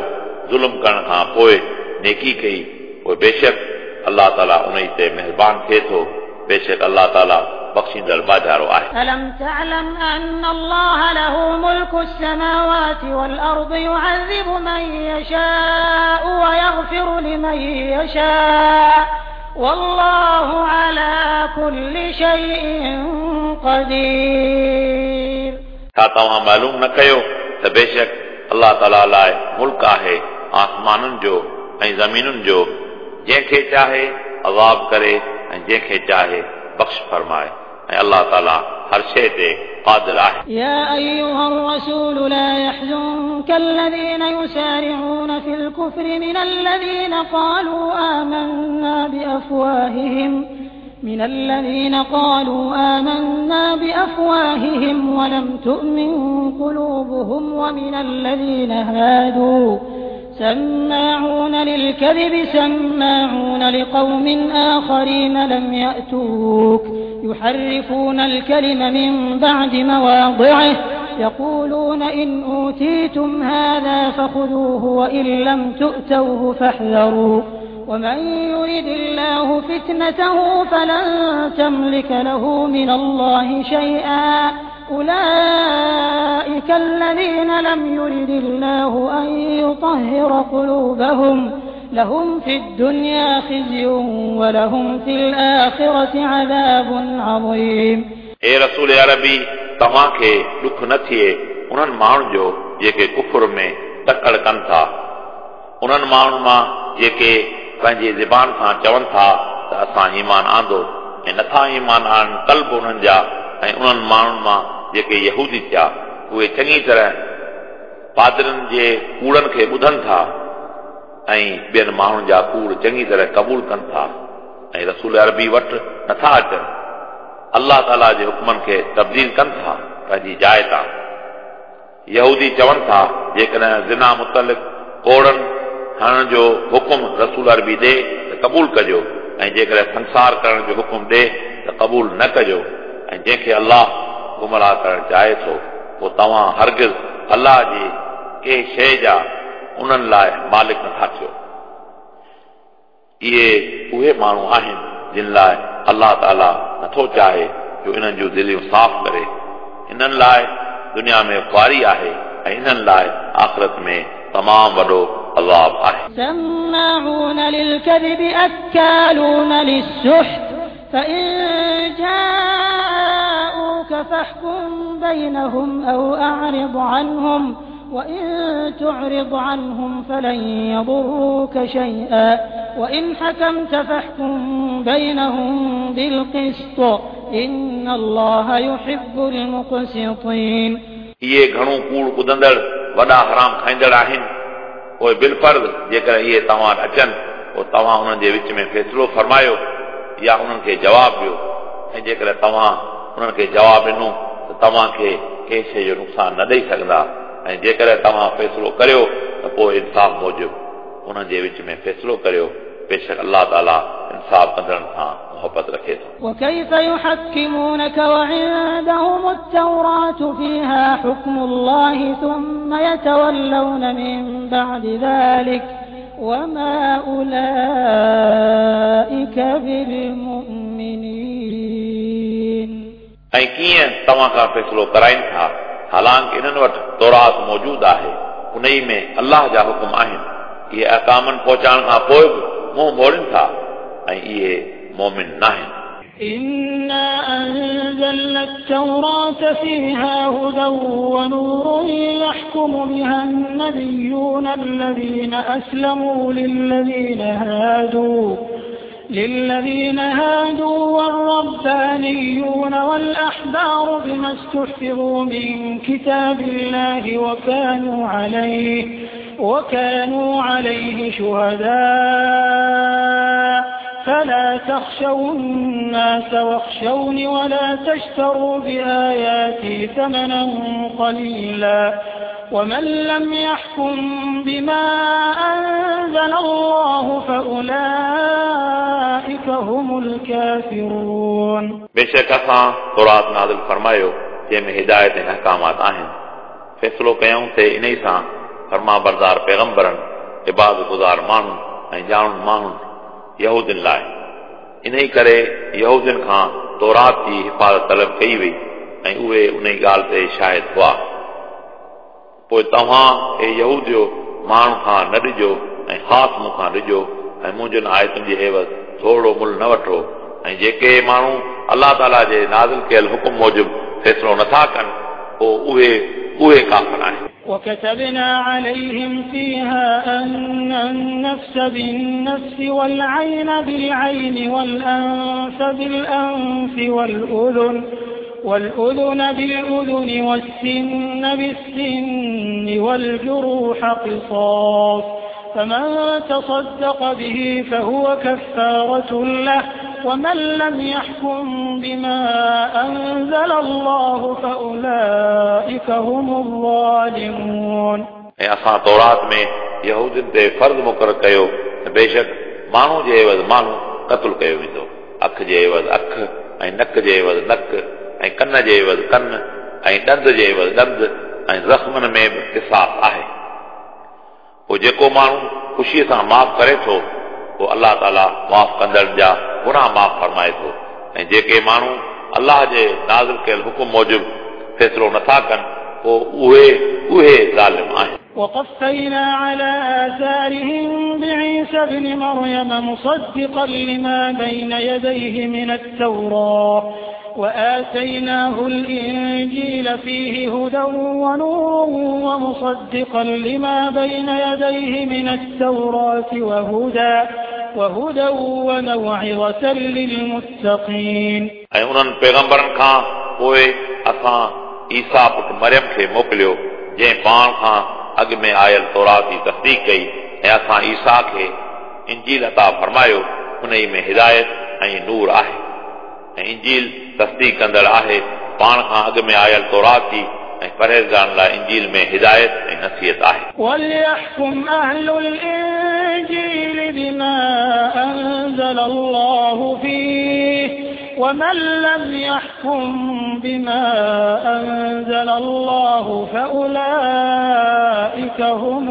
ज़ुल्म करण खां पोइ नेकी कई पोइ बेशक अलाह ताला उन ते महिरबान थिए थो, बेशक अलाह ताला बख़्शींदड़ बाजारो आहे। ألم تعلم أن الله له ملك السماوات والأرض يعذب من يشاء ويغفر لمن يشاء والله على كل شيء قدير। छा तव्हां मालूम न कयो त बेशक अलाह ताला लाइ मुल्क आहे आसमाननि जो ऐं ज़मीनुनि जो, जंहिंखे चाहे अज़ाब करे ऐं जंहिंखे चाहे बख़्श फरमाए ऐं अलाह ताला हर शइ ते क़ादिर आहे। يا أيها الرسول لا يحزنك الذين يسارعون في الكفر من الذين قالوا آمنا بأفواههم من الذين قالوا آمنا بأفواههم ولم تؤمن قلوبهم ومن الذين هادوا سماعون للكذب سماعون لقوم آخرين لم يأتوك يحرفون الكلم من بعد مواضعه يقولون إن أوتيتم هذا فخذوه وإن لم تؤتوه فاحذروا ومن يرد الله فتنته فلن تملك له من الله شيئا أولئك الذين لم يرد الله أن يطهر قلوبهم لهم في الدنيا خزي ولهم في الآخرة عذاب عظيم. ए रसूल अरबी, तव्हांखे ॾुख न थिए उन्हनि माण्हुनि जो जेके कुफुर में तकड़ कनि था, उन्हनि माण्हुनि मां जेके पंहिंजी ज़बान सां चवनि था त असां ईमान आंदो ऐं नथा ईमान आणनि क़ल्ब उन्हनि जा ऐं उन्हनि माण्हुनि मां जेके यहूदी थिया उहे चङी तरह पादरनि जे कूड़नि खे ॿुधनि था ऐं ॿियनि माण्हुनि जा कूड़ चङी तरह क़बूल कनि था ऐं रसूल अरबी वटि नथा अचनि। अलाह ताला जे हुक्मनि खे तब्दील कनि था पंहिंजी जाइ तां। यहूदी चवनि था जेकॾहिं ज़िना मुतलिक़ कोड़नि हणण जो हुकुम रसूल अरबी ॾे त क़बूल कजो ऐं जेकॾहिं संसार करण जो हुकुम ॾे त क़बूल न कजो ऐं जंहिंखे अलाह गुमराह करणु चाहे थो पोइ तव्हां हरगिज़ अलाह जी कंहिं शइ जा उन्हनि लाइ मालिक नथा थियो। इहे उहे माण्हू आहिनि जिन लाइ अलाह ताला नथो चाहे जो इन्हनि जूं दिलियूं साफ़ करे। इन्हनि लाइ दुनिया में ख़्वारी आहे ऐं इन्हनि लाइ आख़िरत में तमामु वॾो अज़ाब आहे। سماعون للكذب أكالون للسحت فإن جاءوك فاحكم بينهم أو أعرض عنهم وإن تعرض عنهم فلن يضروك شيئا وإن حكمت فاحكم بينهم بالقسط إن الله يحب المقسطين। इहे घणो कूड़ ॿुधंदड़ वॾा हराम खाईंदड़ आहिनि। पोइ बिलफर्ज़ जेकॾहिं इहे तव्हां वटि अचनि पोइ तव्हां उन्हनि जे विच में फ़ैसिलो फरमायो या उन्हनि खे जवाबु ॾियो ऐं जेकॾहिं तव्हां उन्हनि खे जवाबु ॾिनो त तव्हांखे कंहिं शइ जो नुक़सानु न ॾेई सघंदा ऐं जेकॾहिं तव्हां फ़ैसिलो करियो त पोइ इंसाफ़ मूजिबि उन्हनि जे विच में फ़ैसिलो करियो। बेशक अलाह ताला इंसाफ़ कंदड़नि सां मोहबत रखे थो। وكيف يحكمونك وعندهم التوراة فيها حكم الله ثم يتولون من بعد ذلك وما أولئك بالمؤمنين। ऐं कीअं तव्हां खां फ़ैसिलो कराइनि था हालांकि इन्हनि वटि तौरात मौजूदु आहे, उन ई में अलाह जा हुकुम आहिनि। इहे अहकामनि पहुचाइण खां पोइ बि मुंहुं मोड़नि था ऐं इहे मोमिन नाहिनि। إنا أنزلنا التوراة فيها هدى ونور يحكم بها النبيون الذين أسلموا للذين هادوا للذين هادوا والربانيون والأحبار بما استحفظوا من كتاب الله وكانوا عليه وكانوا عليه شهداء فلا تخشوا الناس واخشوني ولا تشتروا بآياتي ثمنا قليلا ومن لم يحكم بما أنزل الله فأولئك هم الكافرون। बेशक असां तौरात नाज़िल फरमायो जंहिं में हिदायत ऐं अहकामात आहिनि। फ़ैसिलो कयूं ते इन ई सां फरमा बरदार पैगम्बरनि, इबादत गुज़ार माण्हुनि ऐं ॼाणु माण्हुनि यहूदियुनि लाइ। इन ई करे यहूदियुनि खां तौरात जी हिफ़ाज़त तलब कई वई ऐं उहे उन ई ॻाल्हि ते शाहिद हुआ। पोइ तव्हां हे यहूदियो माण्हू खां न ॾिजो ऐं ख़ासि मूंखां ॾिजो ऐं मुंहिंजनि आयतुनि जे एवज़ थोरो मुल न वठो ऐं जेके माण्हू अलाह ताला जे नाज़िल कयल हुकुम मूजिबि फ़ैसिलो नथा कनि पोइ उहे उहे काफ़िर आहिनि। وكتبنا عليهم فيها أن النفس بالنفس والعين بالعين والأنف بالأنف والأذن والأذن بالأذن والسن بالسن والجروح قصاص فمن تصدق به فهو كفارة له ومن لم يحكم بما أنزل الله فأولئك هم الظالمون। ऐं असां तौरात में यहूदियुनि ते फ़र्ज़ मुक़ररु कयो त बेशक माण्हू जे एवज़ माण्हू क़तलु कयो वेंदो, अखि जे एवज़ अखि ऐं नक जे एवज़ नक ऐं कन जे एवज़ कन ऐं ॾंद जे एवज़ ॾंद ऐं ज़ख़्मनि में बि क़िसास आहे। पोइ जेको माण्हू ख़ुशीअ सां माफ़ करे थो पोइ अलाह ताला माफ़ कंदड़ जा गुनाह माफ़ फरमाए थो ऐं जेके माण्हू अलाह जे नाज़िल कयल हुकुम मूजिबि फ़ैसिलो नथा कनि पोइ उहे उहे ज़ालिम आहिनि। وقفينا على آثارهم بعيسى ابن مريم مصدقا لما بين يديه من التوراة وآتيناه الإنجيل فيه هدى ونور ومصدقا لما بين يديه من التوراة وهدى وهدى وموعظة للمتقين. ऐं उन्हनि पैगंबरनि खां पोइ असां ईसा पुट मरियम खे मोकिलियो जंहिं पाण खां अॻु में आयल तौरात जी तस्दीक कई ऐं असां ईसा खे इंजील अता फरमायो उन में हिदायत ऐं नूर आहे ऐं इंजील तस्दीक कंदड़ आहे पाण खां अॻु में आयल तौरात जी ऐं परहेज़गारनि लाइ इंजील में हिदायत ऐं नसीहत आहे। وليحكم أهل الإنجيل بما أنزل الله فيه ومن لم يحكم بما أنزل الله فأولئك هم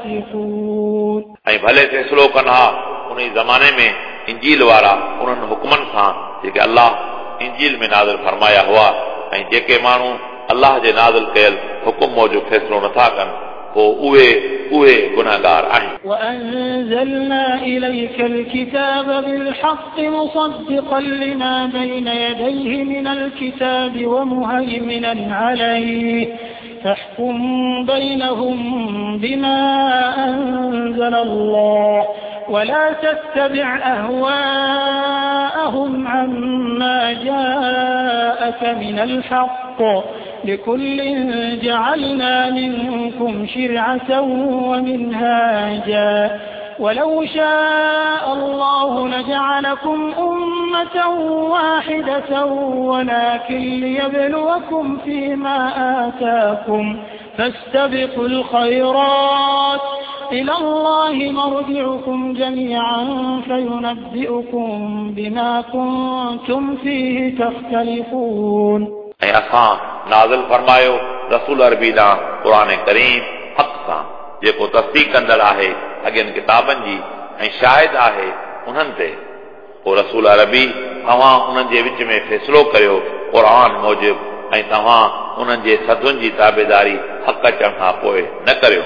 الفاسقون. ऐं भले फ़ैसिलो कनि हा उन ज़माने में इंजील वारा उन्हनि हुकमनि सां जेके अल्लाह इंजील में नाज़िल फरमाया हुआ ऐं जेके माण्हू अल्लाह जे नाज़िल कयल हुकुम मूजिबि फ़ैसिलो नथा कनि पोइ उहे उहे गुनाहगार आहिनि। وأنزلنا إليك الكتاب بالحق مصدقا لما بين يديه من الكتاب ومهيمنا عليه فاحكم بينهم بما أنزل الله ولا تتبع أهواءهم عما جاءك من الحق لكل جعلنا منكم شرعة ومنهاجا ولو شاء الله لجعلكم أمة واحدة ولكن ليبلوكم فيما آتاكم فاستبقوا الخيرات إلى الله مرجعكم جميعا فينبئكم بما كنتم فيه تختلفون. ऐं असां नाज़िल फरमायो रसूल अरबी ॾांहुं क़ुर करीम हक़ सां जेको तस्दीक कंदड़ आहे अॻियनि किताबनि जी ऐं शाहिद आहे उन्हनि ते। पोइ रसूल अरबी तव्हां उन्हनि जे विच में फ़ैसिलो करियो क़ुर मूजिबि ऐं तव्हां उन्हनि जे सदुनि जी ताबेदारी हक़ अचण खां पोइ न करियो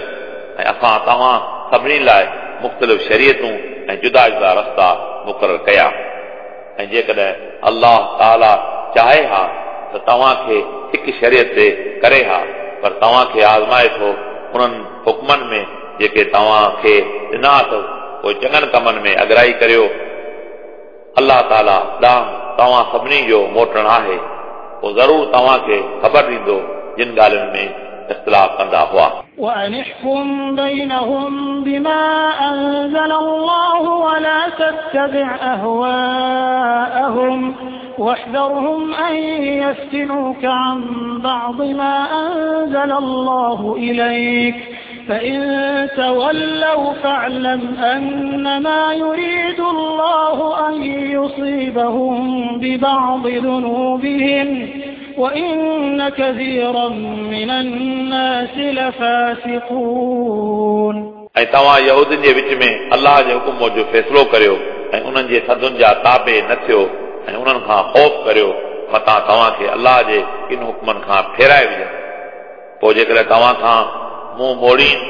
ऐं असां तव्हां सभिनी लाइ मुख़्तलिफ़ शरीयतूं ऐं जुदा जुदा रस्ता मुक़ररु कया ऐं जेकॾहिं अल्लाह ताला चाहे हा त तव्हांखे हिकु शरीयत ते करे हा पर तव्हांखे आज़माए थो उन्हनि हुकमनि में जेके तव्हांखे ॾिना अथव पोइ चङनि कमनि में अगराई करियो। अल्लाह ताला ॾांहुं तव्हां सभिनी जो मोटणु आहे पोइ ज़रूरु तव्हांखे ख़बर ॾींदो जिन ॻाल्हियुनि में इख़्तिलाफ़ कंदा हुआ। وأن احكم بينهم بما أنزل الله ولا تتبع أهواءهم واحذرهم أن يفتنوك عن بعض ما أنزل الله إليك فإن تولوا فاعلم أنما يريد الله أن يصيبهم ببعض ذنوبهم وإن كثيرا من الناس لفاسقون. ऐं तव्हां यहूदियुनि जे विच में अल्लाह जे हुकुम मूजिबि फ़ैसिलो करियो ऐं उन्हनि जे सदुनि जा ताबे न थियो ऐं उन्हनि खां ख़ौफ़ करियो मतां तव्हांखे अल्लाह जे किन हुकमनि खां फेराए विझनि। पोइ जेकॾहिं तव्हां खां मुंहुं मोड़ीनि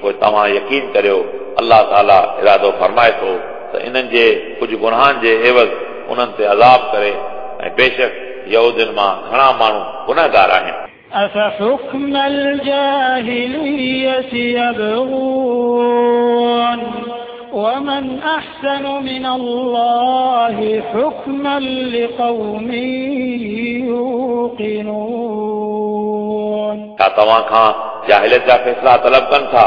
पोइ तव्हां यकीन करियो अल्लाह ताला इरादो फरमाए थो त इन्हनि जे कुझु गुनाहनि जे एवज़ उन्हनि ते अज़ाब करे ऐं बेशक यहूदियुनि मां घणा माण्हू गुनाहगार आहिनि। أفحكم الجاهلية يبغون ومن أحسن من الله حكما لقوم يوقنون. छा तव्हां खां जाहिलियत जा फ़ैसिला तलब कनि था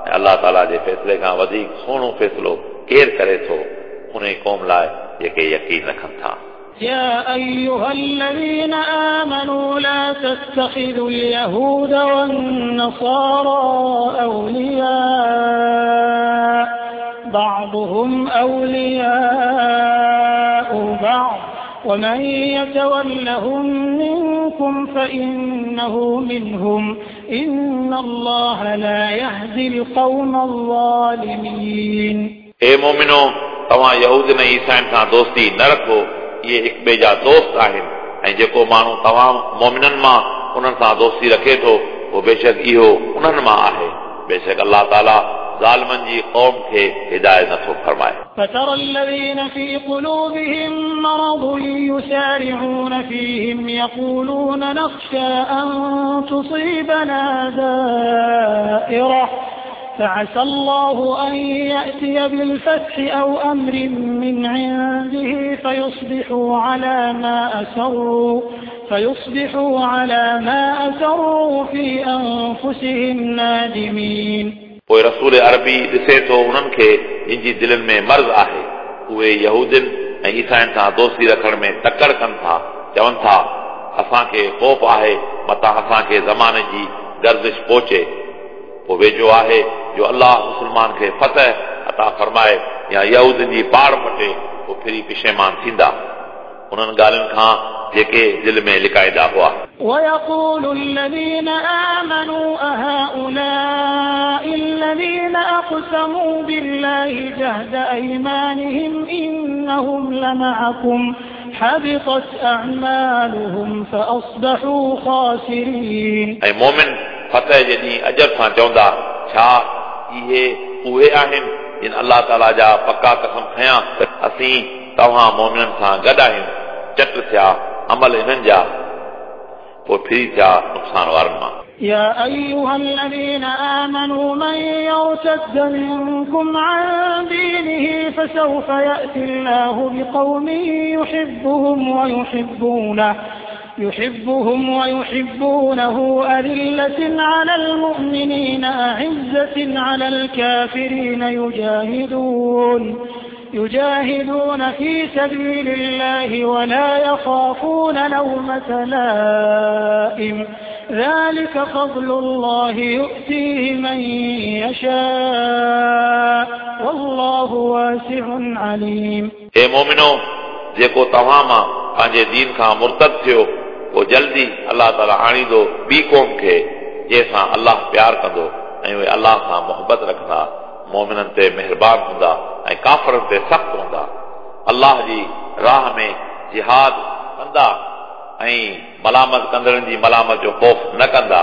ऐं अल्लाह ताला जे फ़ैसिले खां वधीक सुहिणो फ़ैसिलो केरु करे थो उन क़ौम लाइ जेके यकीन रखनि था। يا أيها الذين آمنوا لا تتخذوا اليهود والنصارى أولياء بعضهم أولياء بعض ومن يتولهم منكم فإنه منهم إن الله لا يهدي القوم الظالمين. ए मोमिनो, तव्हां यहूद ऐं ईसाइनि सां दोस्ती न रखो, इहे हिक ॿिए जा दोस्त आहिनि ऐं जेको माण्हू तव्हां मोमिननि मां उन्हनि सां दोस्ती रखे थो उहो बेशक इहो उन्हनि मां आहे। बेशक अल्लाह ताला ज़ालिमनि जी क़ौम खे हिदायत नथो फरमाए। فترى الذين في قلوبهم مرض يسارعون فيهم يقولون نخشى أن تصيبنا دائرة فعسى الله أن يأتي بالفتح أو أمر من عنده فيصبحوا على ما أسروا فيصبحوا على ما أسروا في أنفسهم نادمين. पोइ रसूल अरबी ॾिसे थो उन्हनि खे जिन जी दिलनि में मर्ज़ आहे, उहे यहूदियुनि ऐं ईसाइनि सां दोस्ती रखण में तकड़ कनि था। चवनि था असांखे ख़ौफ़ आहे मतां असांखे ज़माने जी गर्दिश पहुचे। पोइ वेझो आहे जो अल्लाह मुस्लमान खे फतह अता फरमाए या यहूदियुनि जी पाड़ फटे, पोइ फिरी पिशेमान थींदा उन्हनि ॻाल्हियुनि खां जेके दिलि में लिकाईंदा हुआ। ويقول الذين آمنوا أهؤلاء الذين أقسموا بالله جهد أيمانهم إنهم لمعكم حبطت أعمالهم فأصبحوا خاسرين. ऐं मोमिन फतह जे ॾींहुं अजर सां चवंदा, छा इहे उहे आहिनि जिन अल्लाह ताला जा पका कसम खयां त असीं तव्हां मोमिननि सां गॾु आहियूं। चट थिया अमल इन्हनि जा, पोइ फिरी थिया नुक़सान वारनि मां। يا أيها الذين آمنوا من يرتد منكم عن دينه فسوف يأتي الله بقوم يحبهم ويحبونه يحبهم ويحبونه أذلة على المؤمنين أعزة على الكافرين يجاهدون يجاهدون في سبيل الله ولا يخافون لومة لائم ذلك فضل الله يؤتيه من يشاء والله واسع عليم. ए मोमिनो, जेको तव्हां मां पंहिंजे दीन खां मुर्तद थियो, पोइ जल्दी अल्लाह ताला आणींदो ॿी क़ौम खे जंहिंसां अल्लाह प्यार कंदो ऐं उहे अल्लाह सां मोहबत रखंदा, मोमिननि ते महिरबान हूंदा ऐं काफ़रनि ते सख़्तु हूंदा। अल्लाह जी राह में जिहाद कंदा ऐं मलामत कंदड़नि जी मलामत जो ख़ौफ़ न कंदा।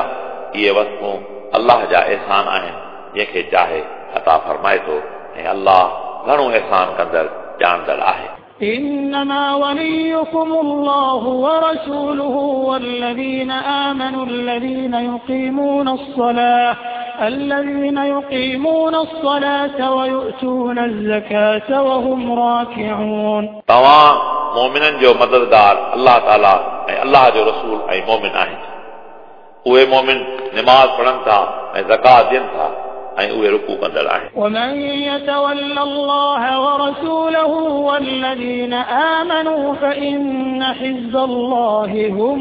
इहे वस्तूं अल्लाह जा एहसान आहिनि, जंहिंखे चाहे अता फरमाए थो, ऐं अल्लाह घणो एहसान कंदड़ ॼाणंदड़ आहे। إنما وليكم الله ورسوله والذين آمنوا الذين يقيمون الصلاة الذين يقيمون الصلاة ويؤتون الزكاة وهم راكعون. तव्हां मोमिननि जो मददगार अल्लाह ताला ऐं अल्लाह जो रसूल ऐं मोमिन आहिनि। उहे मोमिन नमाज़ पढ़नि था ऐं ज़कात ॾियनि था ऐं उहे रुकू कंदड़ आहिनि। ومن يتول الله ورسوله والذين آمنوا فإن حزب الله هم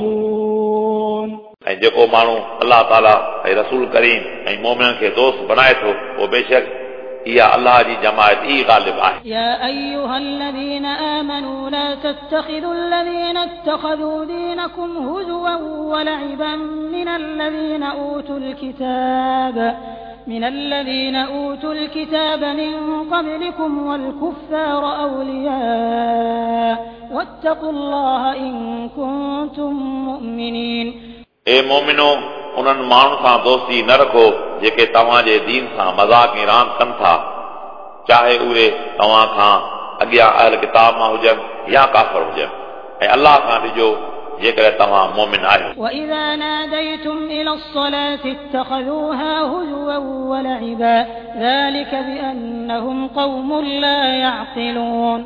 الغالبون. ऐं जेको माण्हू अल्लाह ताला ऐं रसूल करीम ऐं मोमिननि खे दोस्त बनाए थो, उहो बेशक इहा अल्लाह जी जमायत ई ग़ालिब आहे। يا أيها الذين آمنوا لا تتخذوا الذين اتخذوا دينكم هزوا ولعبا من الذين أوتوا الكتاب من الذين أوتوا الكتاب من قبلكم والكفار أولياء واتقوا الله إن كنتم مؤمنين. ए मोमिनो, उन्हनि माण्हुनि सां दोस्ती न रखो जेके तव्हांजे दीन सां मज़ाक ऐं रांदि कनि था, चाहे उहे तव्हां खां अॻियां अहल किताब मां हुजनि या काफ़र हुजनि। ऐं अल्लाह खां ॾिजो जेकॾहिं तव्हां मोमिन आहियो। وإذا ناديتم إلى الصلاة اتخذوها هزوا ولعبا ذلك بأنهم قوم لا يعقلون.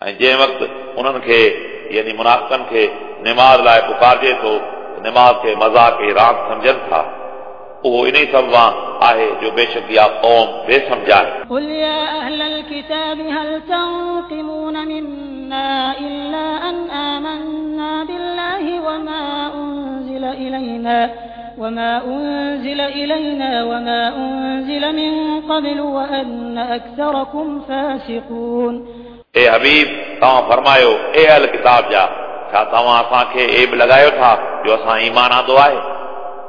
ऐं जंहिं वक़्तु उन्हनि खे यानी मुनाफ़िक़नि खे नमाज़ लाइ पुकारजे थो, नमाज़ खे मज़ाक ऐं रांदि सम्झनि था। उहो इन ई सबब आहे जो बेशक इहा क़ौम बेसमझ आहे। قل يا أهل الكتاب هل تنقمون منا إلا أن آمنا بالله وما أنزل إلينا وما أنزل إلينا وما أنزل من قبل وأن أكثركم فاسقون. ए हबीब, तव्हां फरमायो, ए अहल किताब जा, छा तव्हां असांखे ऐब लॻायो था जो असां ईमान आंदो आहे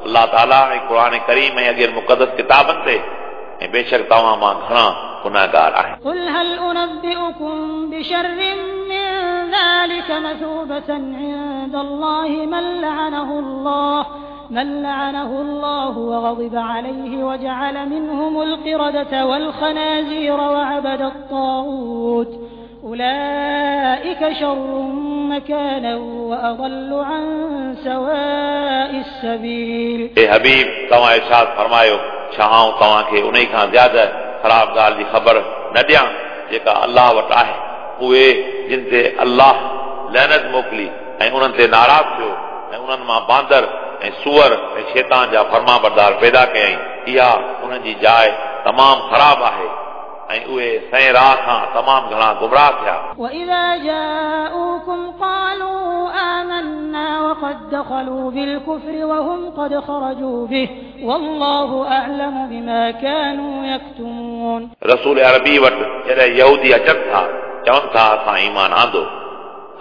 अल्लाह ताला ऐं क़ुर करीम ऐं अॻियनि मुक़दस किताबनि ते, ऐं बेशक तव्हां मां घणा गुनाहगार आहिनि। قل هل أنبئكم بشر من ذلك مثوبة عند الله من لعنه الله من لعنه الله وغضب عليه وجعل منهم القردة والخنازير وعبد الطاغوت أولئك شر مكانا وأضل عن سواء السبيل. ए हबीब, तव्हां इरशाद फरमायो, छा आउं तव्हांखे उन खां ज़्यादा ख़राब ॻाल्हि जी ख़बर न ॾियां जेका अल्लाह वटि आहे? उहे जिन ते अल्लाह लैनत मोकिली ऐं उन्हनि ते नाराज़ थियो ऐं उन्हनि मां बांदर ऐं सूअर ऐं शैतान जा फरमाबरदार पैदा कयईं। इहा उन्हनि जी जाइ तमामु ख़राब आहे ऐं उहे सही राह खां तमामु घणा गुमराह थिया। وإذا جاءوكم قالوا آمنا وقد دخلوا بالكفر وهم قد خرجوا به والله أعلم بما كانوا يكتمون। रसूल अरबी वटि जॾहिं यहूदी अचनि था चवनि था असां ईमान आंदो,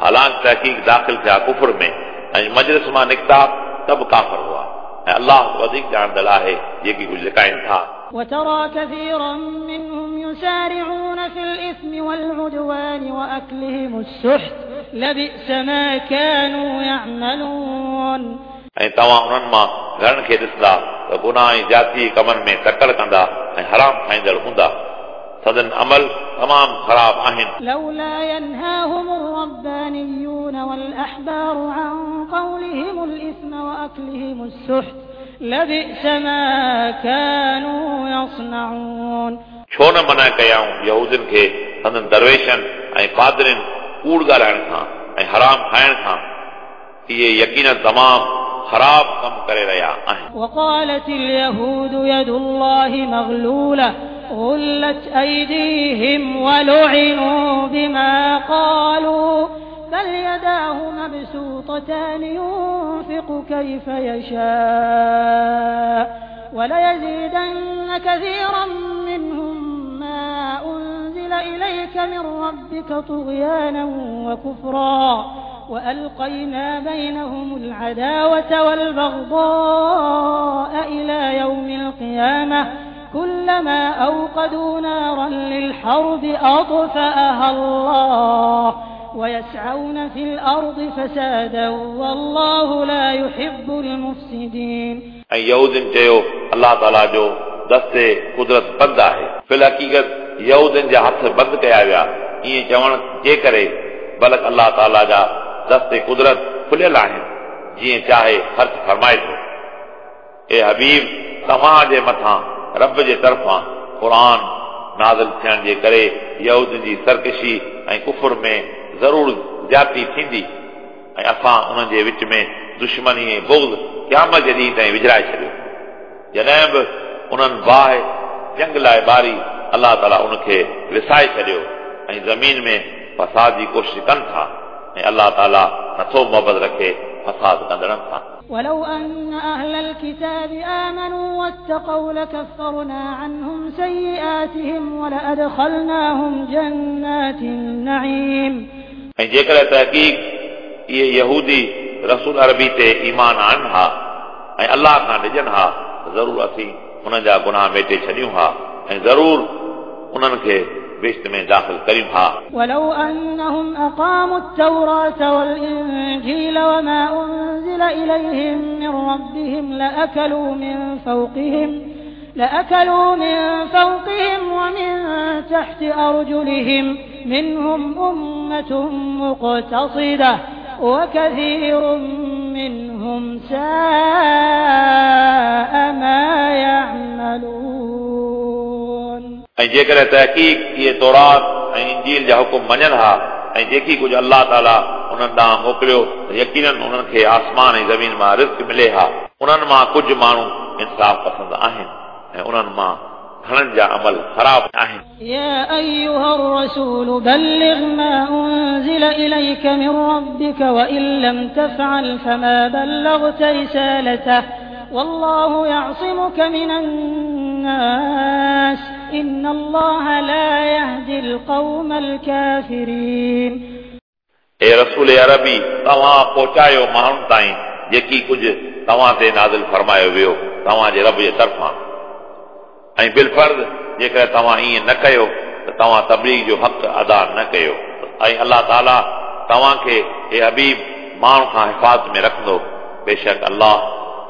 हालांकि तहक़ीक़ दाख़िल थिया कुफर में ऐं मजलिस मां निकिता त बि काफ़िर हुआ ऐं अल्लाह वधीक ॼाणंदड़ आहे जेकी कुझु लिकाइनि था। وترى كثيرا منهم يسارعون في الإثم والعدوان وأكلهم السحت لبئس ما كانوا يعملون। ऐं तव्हां उन्हनि मां घणनि खे ॾिसंदा त गुनाह ऐं ज़ाती कमनि में तकड़ कंदा ऐं हराम खाईंदड़ हूंदा। सदन अमल तमामु ख़राब आहिनि। لولا ينهاهم الربانيون والأحبار عن قولهم الإثم وأكلهم السحت لبئس ما كانوا يصنعون। छो न मना कयाऊं यहूदियुनि खे संदन दरवेशनि ऐं पादरियुनि कूड़ ॻाल्हाइण खां ऐं हराम खाइण खां? इहे यकीन तमामु ख़राब कमु करे रहिया आहिनि। وقالت اليهود يد الله مغلولة غلت أيديهم ولعنوا بما قالوا بل يداه مبسوطتان ينفق كيف يشاء وليزيدن كثيرا منهم ما أنزل إليك من ربك طغيانا وكفرا وألقينا بينهم العداوة والبغضاء إلى يوم القيامة كلما أوقدوا نارا للحرب أطفأها الله ويسعون في الأرض فسادا والله لا يحب المفسدين। ऐं यहूदियुनि चयो अल्लाह ताला जो दस्ते कुदरत बंदि आहे। फिल हक़ीक़त यहूदियुनि जा हथ बंदि कया विया ईअं चवण जे करे, बल्कि अल्लाह ताला जा दस्ते कुदरत खुलियल आहिनि जीअं चाहे ख़र्च फरमाए थो। ए हबीब, तव्हां जे मथां रब जे तरफ़ां क़ुर नाज़िल थियण जे करे यहूदियुनि जी सरकशी ऐं कुफर में ज़रूर ज़्यादती थींदी ऐं असां उन्हनि जे विच में दुश्मनी ऐं बुग़्ज़ क़यामत जे ॾींहं ताईं विझाए छॾियो। जॾहिं बि उन्हनि बाहि जंग लाइ ॿारी अल्लाह ताला उनखे विसाए छॾियो ऐं ज़मीन में फसाद जी कोशिश कनि था ऐं अल्लाह ताला नथो मोहबत रखे फसाद कंदड़नि सां। ولو أن أهل الكتاب آمنوا واتقوا لكفرنا عنهم سيئاتهم ولأدخلناهم جنات النعيم। ऐं जेकॾहिं तहक़ीक़ इहे यहूदी रसूल अरबी ते ईमान आणनि हा ऐं अल्लाह खां ॾिजनि हा त ज़रूर असीं उन्हनि जा गुनाह मेटे छॾियूं हा ऐं ज़रूर उन्हनि खे बहिश्त में दाख़िल करियूं हा। ولو أنهم أقاموا التوراة والإنجيل وما أنزل إليهم من ربهم لأكلوا من فوقهم لأكلوا من فوقهم ومن تحت أرجلهم منهم أمة مقتصدة وكثير منهم ساء ما يعملون। ऐं जेकॾहिं तहक़ीक़ इहे तौरात ऐं इंजील जा हुकुम मञनि हा ऐं जेकी कुझु अल्लाह ताला उन्हनि ॾांहुं मोकिलियो त यकीनन उन्हनि खे आसमान ऐं ज़मीन मां रिज़्क मिले हा। उन्हनि मां कुझु माण्हू इंसाफ़ पसंदि आहिनि ऐं उन्हनि मां घणनि जा अमल ख़राब आहिनि। يا أيها الرسول بلغ ما أنزل إليك من ربك وإن لم تفعل فما بلغت رسالته والله يعصمك من الناس إن الله لا يهدي القوم الكافرين। ए रसूल अरबी, तव्हां पहुचायो माण्हुनि ताईं जेकी कुझु तव्हां ते नाज़िल फरमायो वियो तव्हांजे रब जे तरफ़ां, ऐं बिलफर्ज़ जेकॾहिं तव्हां ईअं न कयो त तव्हां तबलीग जो हक़ अदा न कयो ऐं अल्लाह ताला तव्हांखे ए हबीब माण्हू खां हिफाज़त में रखंदो। बेशक अल्लाह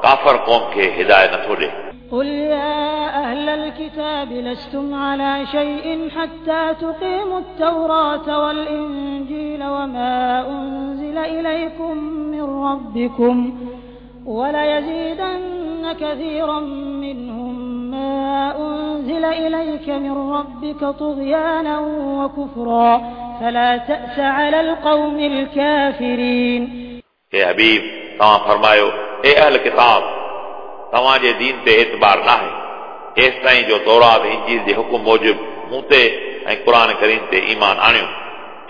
काफ़र क़ौम खे हिदायत नथो ॾिए। قل يا أهل الكتاب لستم على شيء حتى تقيموا التوراة والإنجيل وما أنزل إليكم من ربكم وليزيدن كثيرا منهم ما أنزل إليك من ربك طغيانا وكفرا فلا تأس على القوم الكافرين. हे हबीब, तव्हां फरमायो, ए अहल किताब, तव्हांजे दीन ते एतबार नाहे एसि ताईं जो तौरात इंजील जे हुकुम मूजिबि मूं ते ऐं क़ुर करीम ते ईमान आणियो।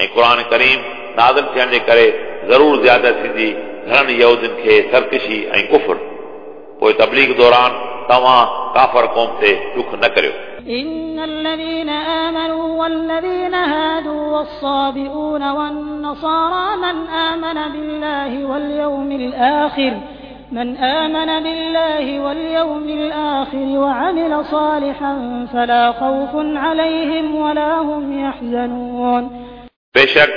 ऐं क़ुर करीम नाज़िल थियण जे करे ज़रूर ज़्यादा थींदी घणनि यहूदियुनि खे सरकशी ऐं कुफर। पोइ तबलीग दौरान तव्हां काफ़र क़ौम ते ॾुख न करियो। إن الذين آمنوا والذين هادوا والصابئون والنصارى من آمن بالله واليوم الآخر من آمن بالله واليوم الآخر وعمل صالحا فلا خوف عليهم ولا هم يحزنون. बेशक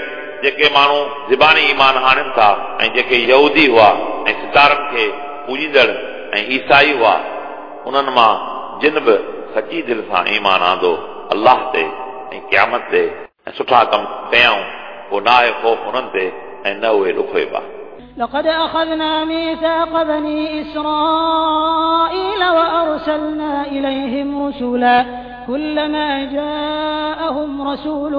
जेके माण्हू ज़बानी ईमान आणनि था ऐं जेके यहूदी हुआ ऐं सितारनि खे पूजींदड़ ऐं ईसाई हुआ, उन्हनि मां जिन बि सची दिलि सां ईमान आंदो अल्लाह ते ऐं क़यामत ते ऐं सुठा कम कयाऊं, पोइ न आहे ख़ौफ़ उन्हनि ते ऐं न उहे ॾुखोइबा। لقد أخذنا ميثاق بني إسرائيل وأرسلنا إليهم رسلا كلما جاءهم رسول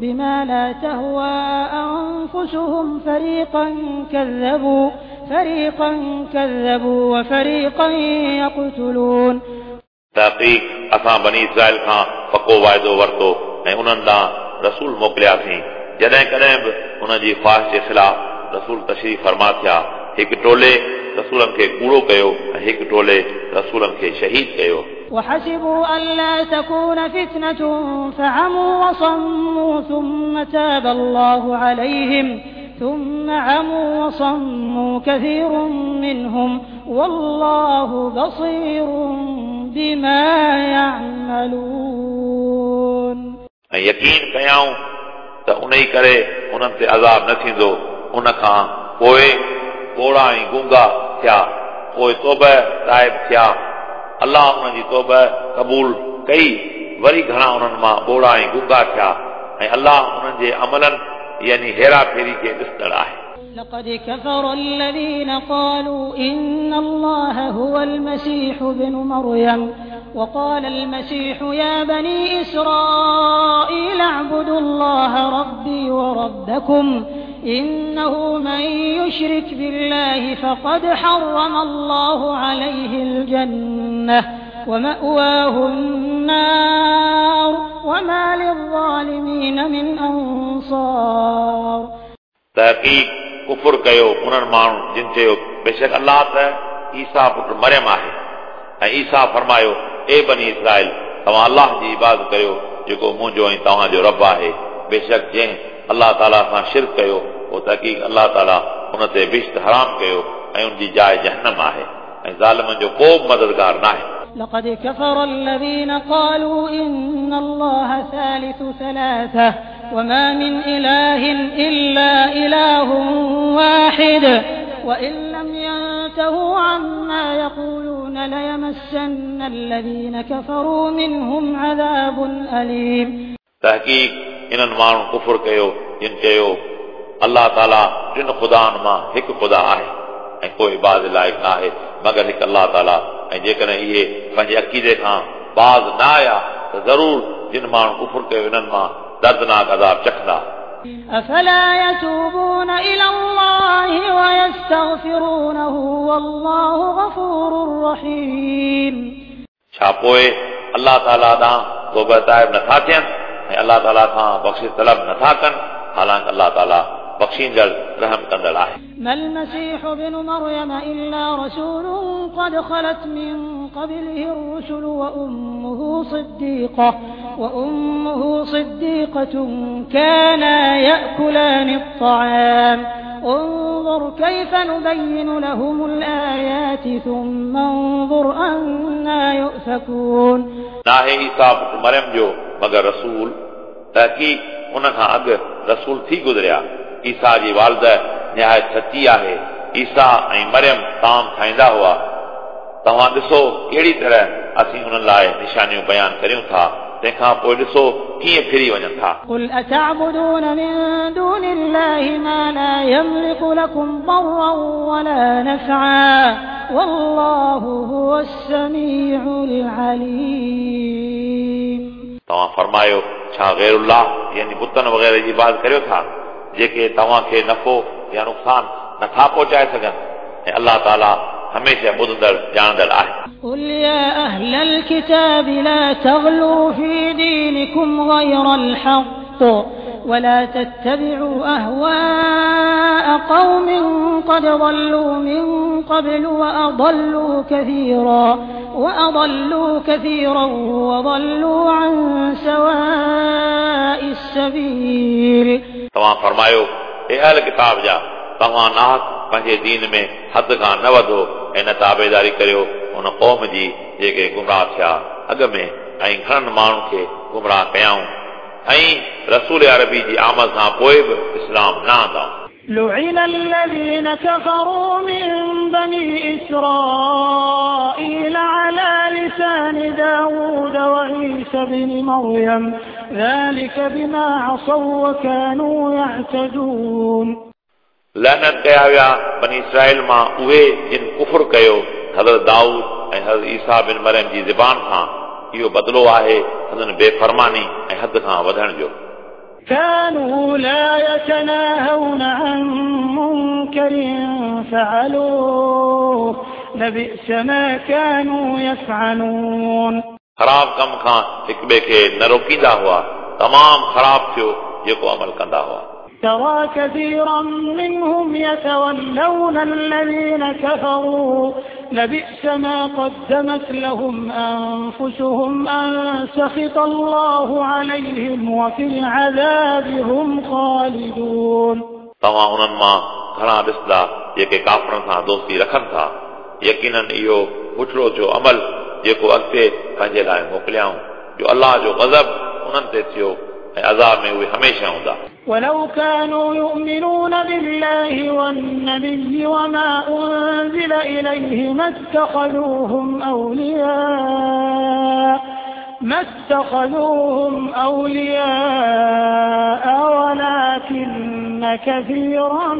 بما لا تهوى أنفسهم فريقا كذبوا فريقا كذبوا وفريقا يقتلون. तहक़ीक़ असां बनी इसराइल खां पको वाइदो वरितो ऐं उन्हनि ॾांहुं रसूल मोकिलियासीं। जॾहिं कॾहिं बि उन्हनि जी ख़्वाहिश जे ख़िलाफ़ रसूल तशरीफ़ फरमा थिया, हिकु टोले रसूलनि खे कूड़ो कयो ऐं हिकु टोले रसूलनि खे शहीद कयो। وحسبوا ألا تكون فتنة فعموا وصموا ثم تاب الله عليهم ثم عموا وصموا كثير منهم والله بصير بما يعملون. ऐं यकीन कयाऊं त उन ई करे उन्हनि ते अज़ाब न थींदो। उन खां पोइ ॿोड़ा ऐं गूंगा थिया, पोइ तौबा ताइब थिया, अल्लाह उन्हनि जी तौबा क़बूल कई। वरी घणा उन्हनि मां ॿोड़ा ऐं गूंगा थिया ऐं अल्लाह उन्हनि जे अमलनि यानी हेरा फेरी खे ॾिसंदड़ आहे। لقد كفر الذين قالوا إن الله هو المسيح ابن مريم وقال المسيح يا بني إسرائيل اعبدوا الله ربي وربكم إنه من يشرك بالله فقد حرم الله عليه الجنة ومأواه النار وما للظالمين من أنصار. तहक़ीक़ कुफुर कयो उन्हनि माण्हुनि जिन चयो बेशक अल्लाह त ईसा पुट मरियम आहे। ऐं ईसा फरमायो, ए बनी इसराइल, तव्हां अल्लाह जी इबादत कयो जेको मुंहिंजो ऐं तव्हांजो रब आहे। बेशक जंहिं अल्लाह ताला सां शिरक कयो उहो तहक़ीक़ अल्लाह ताला उन ते बिश्त हराम कयो ऐं उनजी जाइ जहनम आहे ऐं ज़ालिमनि जो को बि मददगार न आहे। لقد كفر الذين قالوا إن الله ثالث ثلاثة وما من إله إلا إله واحد وإن لم ينتهوا عما يقولون ليمسن الذين كفروا منهم عذاب أليم. तहक़ीक़ इन्हनि माण्हुनि कुफुर कयो जिन चयो अल्लाह ताला टिनि ख़ुदानि मां हिकु ख़ुदा आहे ऐं कोई इबादत लाइक़ न आहे मगर हिकु अल्लाह ताला। ऐं जेकॾहिं इहे पंहिंजे अक़ीदे खां बाज़ न आया त ज़रूर जिन माण्हुनि कुफुर कयो इन्हनि मां दर्दनाक अज़ाब चखंदा। أفلا يتوبون إلى الله ويستغفرونه والله غفور رحيم. छा पोइ अल्लाह ताला ॾांहुं तौबा ताइब नथा थियनि ऐं अल्लाह ताला खां बख़्शिश तलब नथा कनि, हालांकि अल्लाह ताला बख़्शींदड़ रहम कंदड़ आहे। ما المسيح ابن مريم إلا رسول قد خلت من قبله الرسل وأمه صديقة وأمه صديقة كانا يأكلان الطعام انظر كيف نبين لهم الآيات ثم انظر أنا يؤفكون. नाहे ईसा पुट मरियम जो मगर रसूल, तहक़ीक़ उन खां अॻु रसूल थी गुज़रिया। ईसा जी वालिदा निहायत सची आहे। ईसा ऐं मरियम ताम खाईंदा हुआ। तव्हां ॾिसो कहिड़ी तरह असीं उन्हनि लाइ निशानियूं बयानु करियूं था, तंहिंखां पोइ ॾिसो कीअं फिरी वञनि था। قل أتعبدون من دون الله ما لا يملك لكم ضرا ولا نفعا والله هو السميع العليم. तव्हां फरमायो, छा ग़ैरुल्लाह यानी बुतनि वग़ैरह जी इबादत करियो था जेके तव्हांखे नफ़ो या नुक़सानु नथा पहुचाए सघनि? ऐं अलाह ताला हमेशह ॿुधंदड़ ॼाणंदड़ आहे। قل يا أهل الكتاب لا تغلوا في دينكم غير الحق ولا تتبعوا أهواء قوم قد ضلوا من قبل وأضلوا كثيرا وأضلوا كثيرا وضلوا عن سواء السبيل. तव्हां फरमायो, ए अहल किताब जा, तव्हां नाहक पंहिंजे दीन में हद खां न वधो ऐं न ताबेदारी करियो उन क़ौम जी जेके गुमराह थिया अॻ में ऐं घणनि माण्हुनि खे गुमराह कयाऊं ऐं रसूल अरबी जी आमद खां पोइ बि इस्लाम न आंदऊं। لعن الذين كفروا من بني إسرائيل على لسان داود وعيسى بن مريم ذلك بما عصوا وكانوا يعتدون. लअनत कया विया बनी इसराइल मां उहे जिन कुफुर कयो हज़रत दाऊद ऐं हज़रत ईसा बिन मरियम जी ज़बान खां। इहो बदिलो आहे संदन बेफरमानी ऐं हद खां वधण जो। كانوا لا يتناهون عن منكر فعلوه لبئس ما كانوا يفعلون. ख़राब कम खां हिक ॿिए खे न रोकींदा हुआ, तमामु ख़राब थियो जेको अमल कंदा हुआ। ترى كثيرا منهم يتولون الذين كفروا لبئس ما قدمت لهم أنفسهم أن سخط الله عليهم وفي العذاب هم خالدون. तव्हां उन्हनि मां घणा ॾिसंदा जेके काफ़रनि सां दोस्ती रखनि था। यकीनन इहो बुठड़ो थियो अमल जेको अॻिते पंहिंजे लाइ मोकिलियाऊं, जो अलाह जो ग़ज़ब उन्हनि ते थियो ऐं अज़ाब में उहे हमेशह हूंदा। ولو كانوا يؤمنون بالله والنبي وما أنزل إليه ما اتخذوهم أولياء ما اتخذوهم أولياء ولكن كثيرا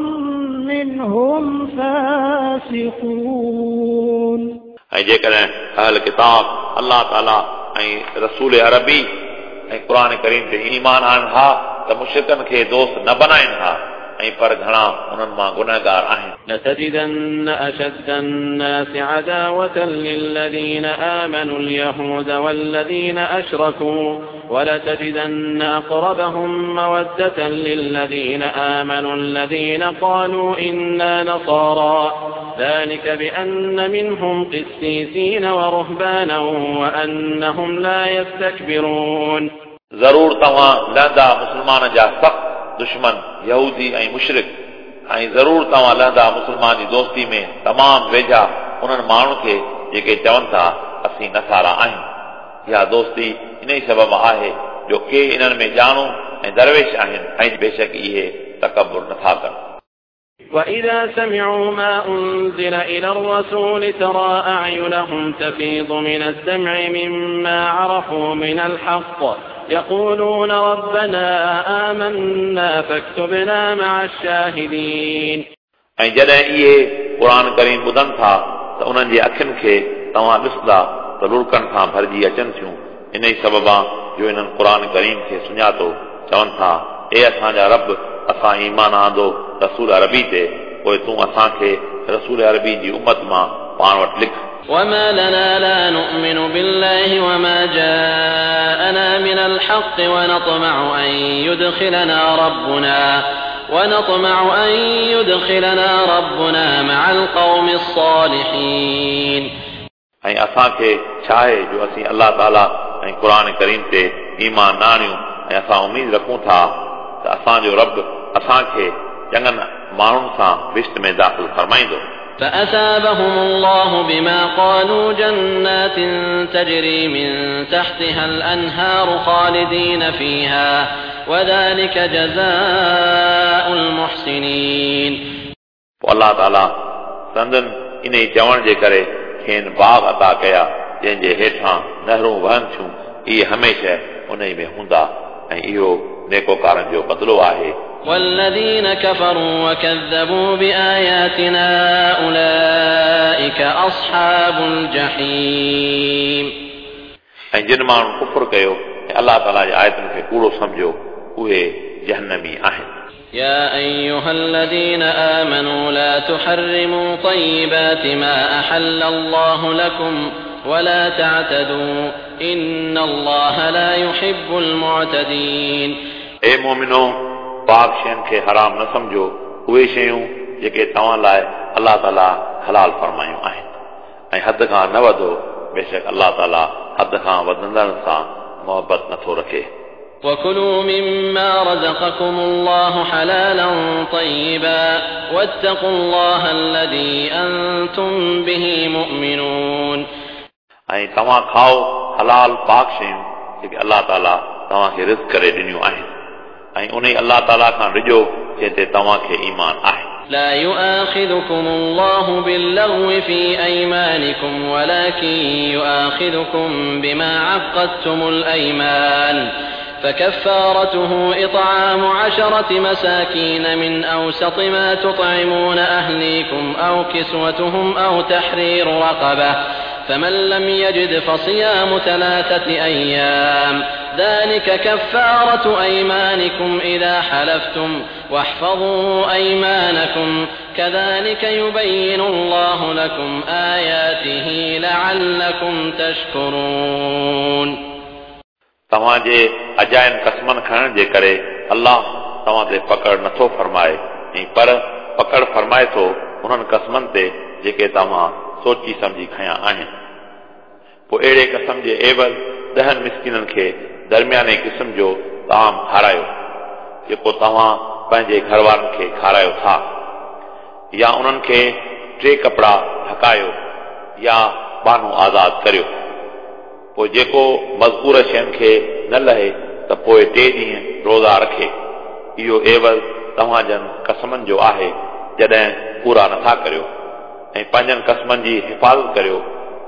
منهم فاسقون. ऐं जेकॾहिं अहल किताब अलाह ताला ऐं रसूल अरबी ऐं क़ुर करीम ते ईमान आणनि हा त मुश्रिकनि खे दोस्त न बनाइनि हा, ऐं पर घणा उन्हनि मां गुनहगार आहिनि। لتجدن أشد الناس عداوة للذين آمنوا اليهود والذين أشركوا ولتجدن أقربهم مودة للذين آمنوا الذين قالوا إنا نصارى ذلك بأن منهم قسيسين ورهبانا وأنهم لا يستكبرون. ज़रूर तव्हां लहंदा मुस्लमान जा सख़्त दुश्मन यहूदी ऐं मुशरिक, ऐं ज़रूर तव्हां लहंदा मुस्लमान जी दोस्ती में तमामु वेझा उन्हनि माण्हुनि खे जेके चवनि था असीं नसारा आहियूं। इहा दोस्ती इन ई सबब आहे जो के इन्हनि में ॼाणू ऐं दरवेश आहिनि ऐं बेशक इहे तकबुर नथा कनि। وإذا سمعوا ما أنزل إلى الرسول ترى أعينهم تفيض من الدمع مما عرفوا من الحق يقولون ربنا آمنا فاكتبنا مع الشاهدين. ऐं जॾहिं इहे क़ुर करीम ॿुधनि था त उन्हनि जी अखियुनि खे तव्हां ॾिसंदा त लुड़कनि सां भरिजी अचनि थियूं। इन ई सबबा जो इन्हनि क़ुर करीम खे सुञातो, चवनि था ए असांजा रब, असां ईमान आंदो रसूल अरबी ते, पोइ तूं असांखे रसूल अरबी जी उम्मत मां पाण वटि लिख। وما لنا لا نؤمن بالله وما جاءنا من الحق ونطمع أن يدخلنا ربنا ونطمع أن يدخلنا ربنا مع القوم الصالحين. ऐं असांखे छा आहे जो असीं अलाह ताला ऐं क़ुर करीम ते ईमान न आणियूं ऐं असां उमेद रखूं था त असांजो रब असांखे चङनि माण्हुनि सां बिश्त में दाख़िल फरमाईंदो। فأثابهم الله بما قالوا جنات تجري من تحتها الأنهار خالدين فيها وذلك جزاء المحسنين. पोइ अलाह ताला संदन इन ई चवण जे करे खेनि बाग़ अता कया जंहिंजे हेठां नहरूं वहनि थियूं, इहे हमेशह उन में हूंदा ऐं इहो नेकोकारनि जो बदिलो आहे। والذين كفروا وكذبوا بآياتنا أولئك أصحاب الجحيم. ऐं जिन माण्हुनि कुफुर कयो ऐं अलाह ताला जे आयतुनि खे कूड़ो सम्झो उहे जहन्नमी आहिनि. يا أيها الذين آمنوا لا تحرموا طيبات ما أحل الله لكم ولا تعتدوا إن الله لا يحب المعتدين. ए मोमिनो, पाक शयुनि खे हराम न सम्झो, उहे शयूं जेके तव्हां लाइ अलाह ताला हलाल फरमायूं आहिनि, ऐं हद खां न वधो, बेशक अलाह ताला हद खां वधंदड़नि सां मोहबत नथो रखे. وكلوا مما رزقكم الله حلالا طيبا واتقوا الله الذي أنتم به مؤمنون. ऐं तव्हां खाओ हलाल पाक शयूं जेके अलाह ताला तव्हांखे रिज़्क करे ॾिनियूं आहिनि, ऐं उन अलाह ताला खां ॾिजो जंहिं ते तव्हांखे ईमान आहे. لا يؤاخذكم الله باللغو في أيمانكم ولكن يؤاخذكم بما عقدتم الأيمان فكفارته إطعام عشرة مساكين من أوسط ما تطعمون أهليكم أو كسوتهم أو تحرير رقبة فمن لم يجد فصيام ثلاثة أيام ذلك كفارة أيمانكم إذا حلفتم واحفظوا أيمانكم كذلك يبين الله لكم آياته لعلكم تشكرون. तव्हांजे अजायनि क़स्मनि खणण जे करे अलाह तव्हां ते पकड़ नथो फरमाए, ऐं पर पकड़ फरमाए थो उन्हनि क़स्मनि ते जेके तव्हां सोची सम्झी खयां आहिनि. पोइ अहिड़े क़स्म जे एवज़ ॾहनि मिसकिननि खे दरमियाने क़िस्म जो ताम खारायो जेको तव्हां पंहिंजे घर वारनि खे खारायो था, या उन्हनि खे टे कपिड़ा ढकायो या बानो आज़ाद करियो. पोइ जेको मज़कूर शयुनि खे न लहे त पोइ टे ॾींहं रोज़ा रखे. इहो एवज़ तव्हां जन क़स्मनि जो आहे जॾहिं पूरा नथा करियो, ऐं पंहिंजनि क़स्मनि जी हिफ़ाज़त करियो.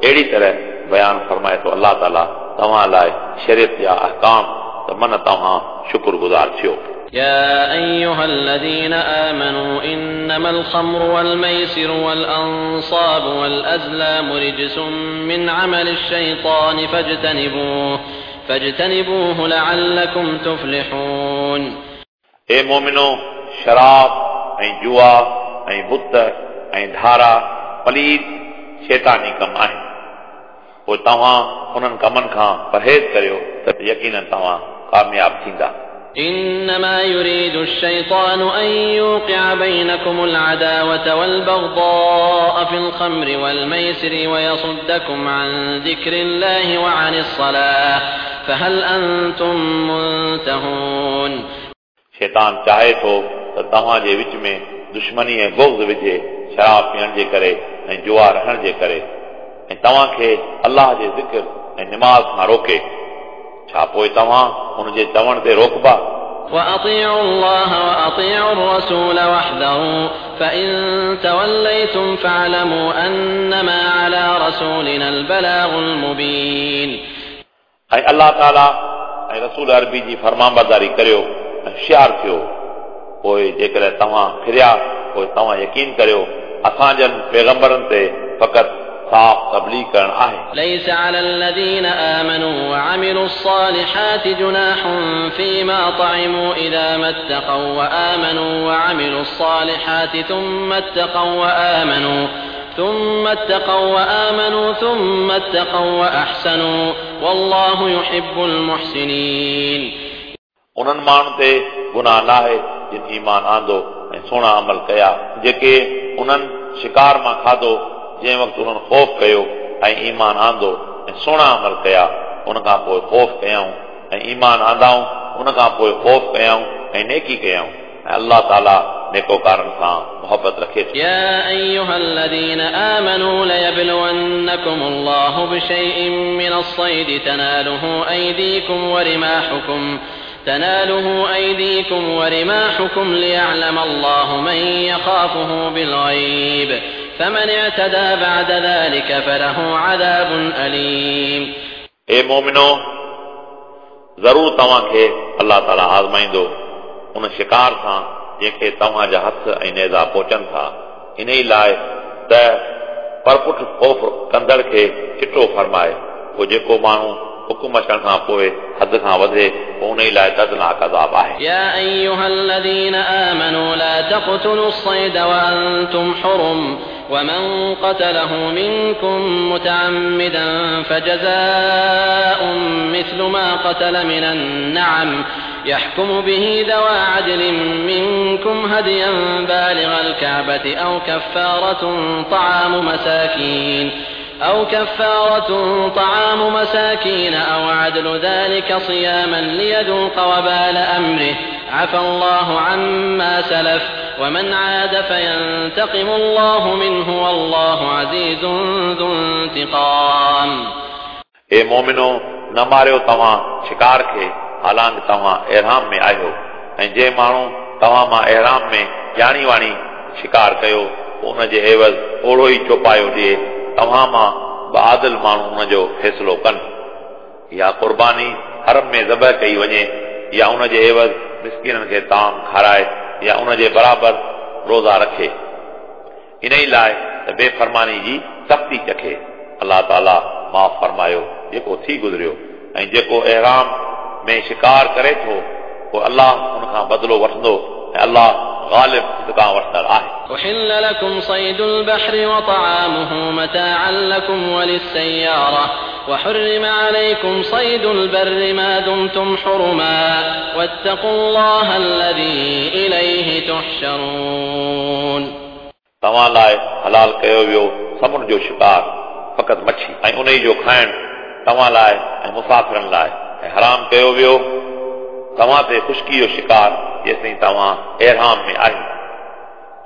अहिड़ी तरह बयानु फरमाए थो अलाह ताला तव्हां लाइ शरीयत जा अहकाम त मन तव्हां शुक्रगुज़ार थियो. يا أيها الذين آمنوا إنما الخمر والميسر والأنصاب والأزلام رجس من عمل الشيطان فاجتنبوه فاجتنبوه لعلكم تفلحون. ए मोमिनो, शराब ऐं जुआ ऐं बुत ऐं धारा पलीत शैतानी कम आहिनि, पोइ तव्हां उन्हनि कमनि खां परहेज़ करियो त यकीनन तव्हां कामयाब थींदा. إنما يريد الشيطان أن يوقع بينكم العداوة والبغضاء في الخمر والميسر ويصدكم عن ذكر الله وعن الصلاة فهل أنتم منتهون. शैतान चाहे थो त तव्हांजे विच में दुश्मनी ऐं बुग़्ज़ विझे शराब पीअण जे करे ऐं जुआ रहण जे करे, ऐं तव्हांखे अलाह जे ज़िक्र ऐं निमाज़ खां रोके. छा पोइ तव्हां हुनजे चवण ते रोकबा? وأطيعوا الله وأطيعوا الرسول واحذروا فإن توليتم فاعلموا أنما على رسولنا البلاغ المبين. ऐं अलाह ताला ऐं रसूल अरबी जी फरमाबरदारी करियो ऐं होशियार थियो. पोइ जेकॾहिं तव्हां फिरिया पोइ तव्हां यकीन करियो असां जन पैगंबरनि ते फ़क़ति साफ़ तबलीग करण आहे. ليس على الذين آمنوا وعملوا الصالحات جناح فيما طعموا إذا ما اتقوا وآمنوا وعملوا الصالحات ثم اتقوا وآمنوا ثم اتقوا وآمنوا ثم اتقوا وأحسنوا والله يحب المحسنين. उन्हनि माण्हुनि ते गुनाह न आहे जिन ईमान आंदो ऐं सुहिणा अमल कया, जेके उन्हनि शिकार मां खाधो जंहिं वक़्तु उन्हनि ख़ौफ़ कयो ऐं ईमान आंदो ऐं सुहिणा अमल कया, उन खां पोइ ख़ौफ़ कयाऊं ऐं ईमान आंदाऊं, उन खां पोइ ख़ौफ़ कयाऊं ऐं नेकी कयाऊं, ऐं अलाह ताला नेकोकारनि सां मोहबत रखे थो. يا أيها الذين آمنوا ليبلونكم الله بشيء من الصيد تناله أيديكم ورماحكم تناله أيديكم ورماحكم ليعلم الله من يخافه بالغيب فمن اعتدى بعد ذلك فله عذاب أليم. ए मोमिनो, ज़रूर तव्हांखे अलाह ताला आज़माईंदो उन शिकार सां जंहिंखे तव्हांजा हथ ऐं नेज़ा पहुचनि था, इन ई लाइ त परपुठ ख़ौफ़ कंदड़ खे चिटो फरमाए। पोइ जेको माण्हू हुकुम अचण खां पोइ हद खां वधे, पोइ उन लाइ दर्दनाक अज़ाब आहे। يا أيها الذين آمنوا لا تقتلوا الصيد وأنتم حرم ومن قتله منكم متعمدا فجزاء مثل ما قتل من النعم يحكم به ذوى عدل منكم هديا بالغ الكعبة أو كفارة طعام مساكين أو كفارة طعام مساكين أو عدل ذلك صياما ليذوق وبال أمره عفى الله عما سلف ومن عاد فينتقم الله منه والله عزيز ذو انتقام. ए मोमिनो, न मारियो तव्हां शिकार खे हालांकि तव्हां एहराम में आहियो, ऐं जंहिं माण्हू तव्हां मां एहराम में ॼाणी वाणी शिकार कयो उन जे एवज़ ओहिड़ो ई चौपायो ॾिए, तव्हां मां ॿ आदिल माण्हू उनजो फ़ैसिलो कनि। या क़ुर्बानी हरम में ज़बह कई वञे, या उन जे एवज़ मिसकीननि खे ताम खाराए, या उन जे बराबरि रोज़ा रखे, इन ई लाइ त बेफ़रमानी जी सख़्ती चखे। अलाह ताला माफ़ फरमायो जेको थी गुज़रियो, ऐं जेको एहराम में शिकार करे थो पोइ अलाह उन खां बदिलो वठंदो, ऐं अलाह ग़ालिब इंतिक़ाम वठंदड़ आहे। أحل لكم صيد البحر وطعامه متاعا لكم وللسيارة وحرم عليكم صيد البر ما دمتم حرما واتقوا الله الذي إليه تحشرون. तव्हां लाइ हलाल कयो वियो समुंड जो शिकार फ़क़ति मच्छी ऐं उन जो खाइण तव्हां लाइ ऐं मुसाफ़िरनि लाइ, ऐं हराम कयो वियो तव्हां ते ख़ुश्की जो शिकार जेसिताईं तव्हां एहराम में आहियो।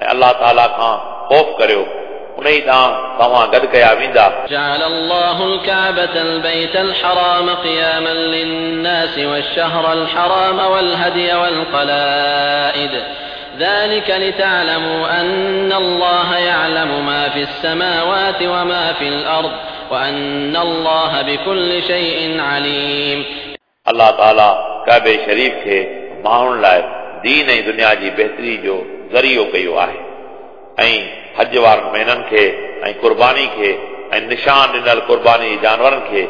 ऐं अलाह ताला खां ख़ौफ़ करियो, उन ई ॾांहुं तव्हां गॾु कया वेंदा। جعل الله الكعبة البيت الحرام قياما للناس والشهر الحرام والهدي والقلائد ذلك لتعلموا أن الله يعلم ما في السماوات وما في الأرض وأن الله بكل شيء عليم. अलाह ताला काबे शरीफ़ खे माण्हुनि लाइ दीन ऐं दुनिया जी बहितरी जो ज़रियो कयो आहे, ऐं हज वारनि महीननि खे ऐं क़ुर्बानी खे ऐं निशान ॾिनल क़ुर्बानी जे जानवरनि खे,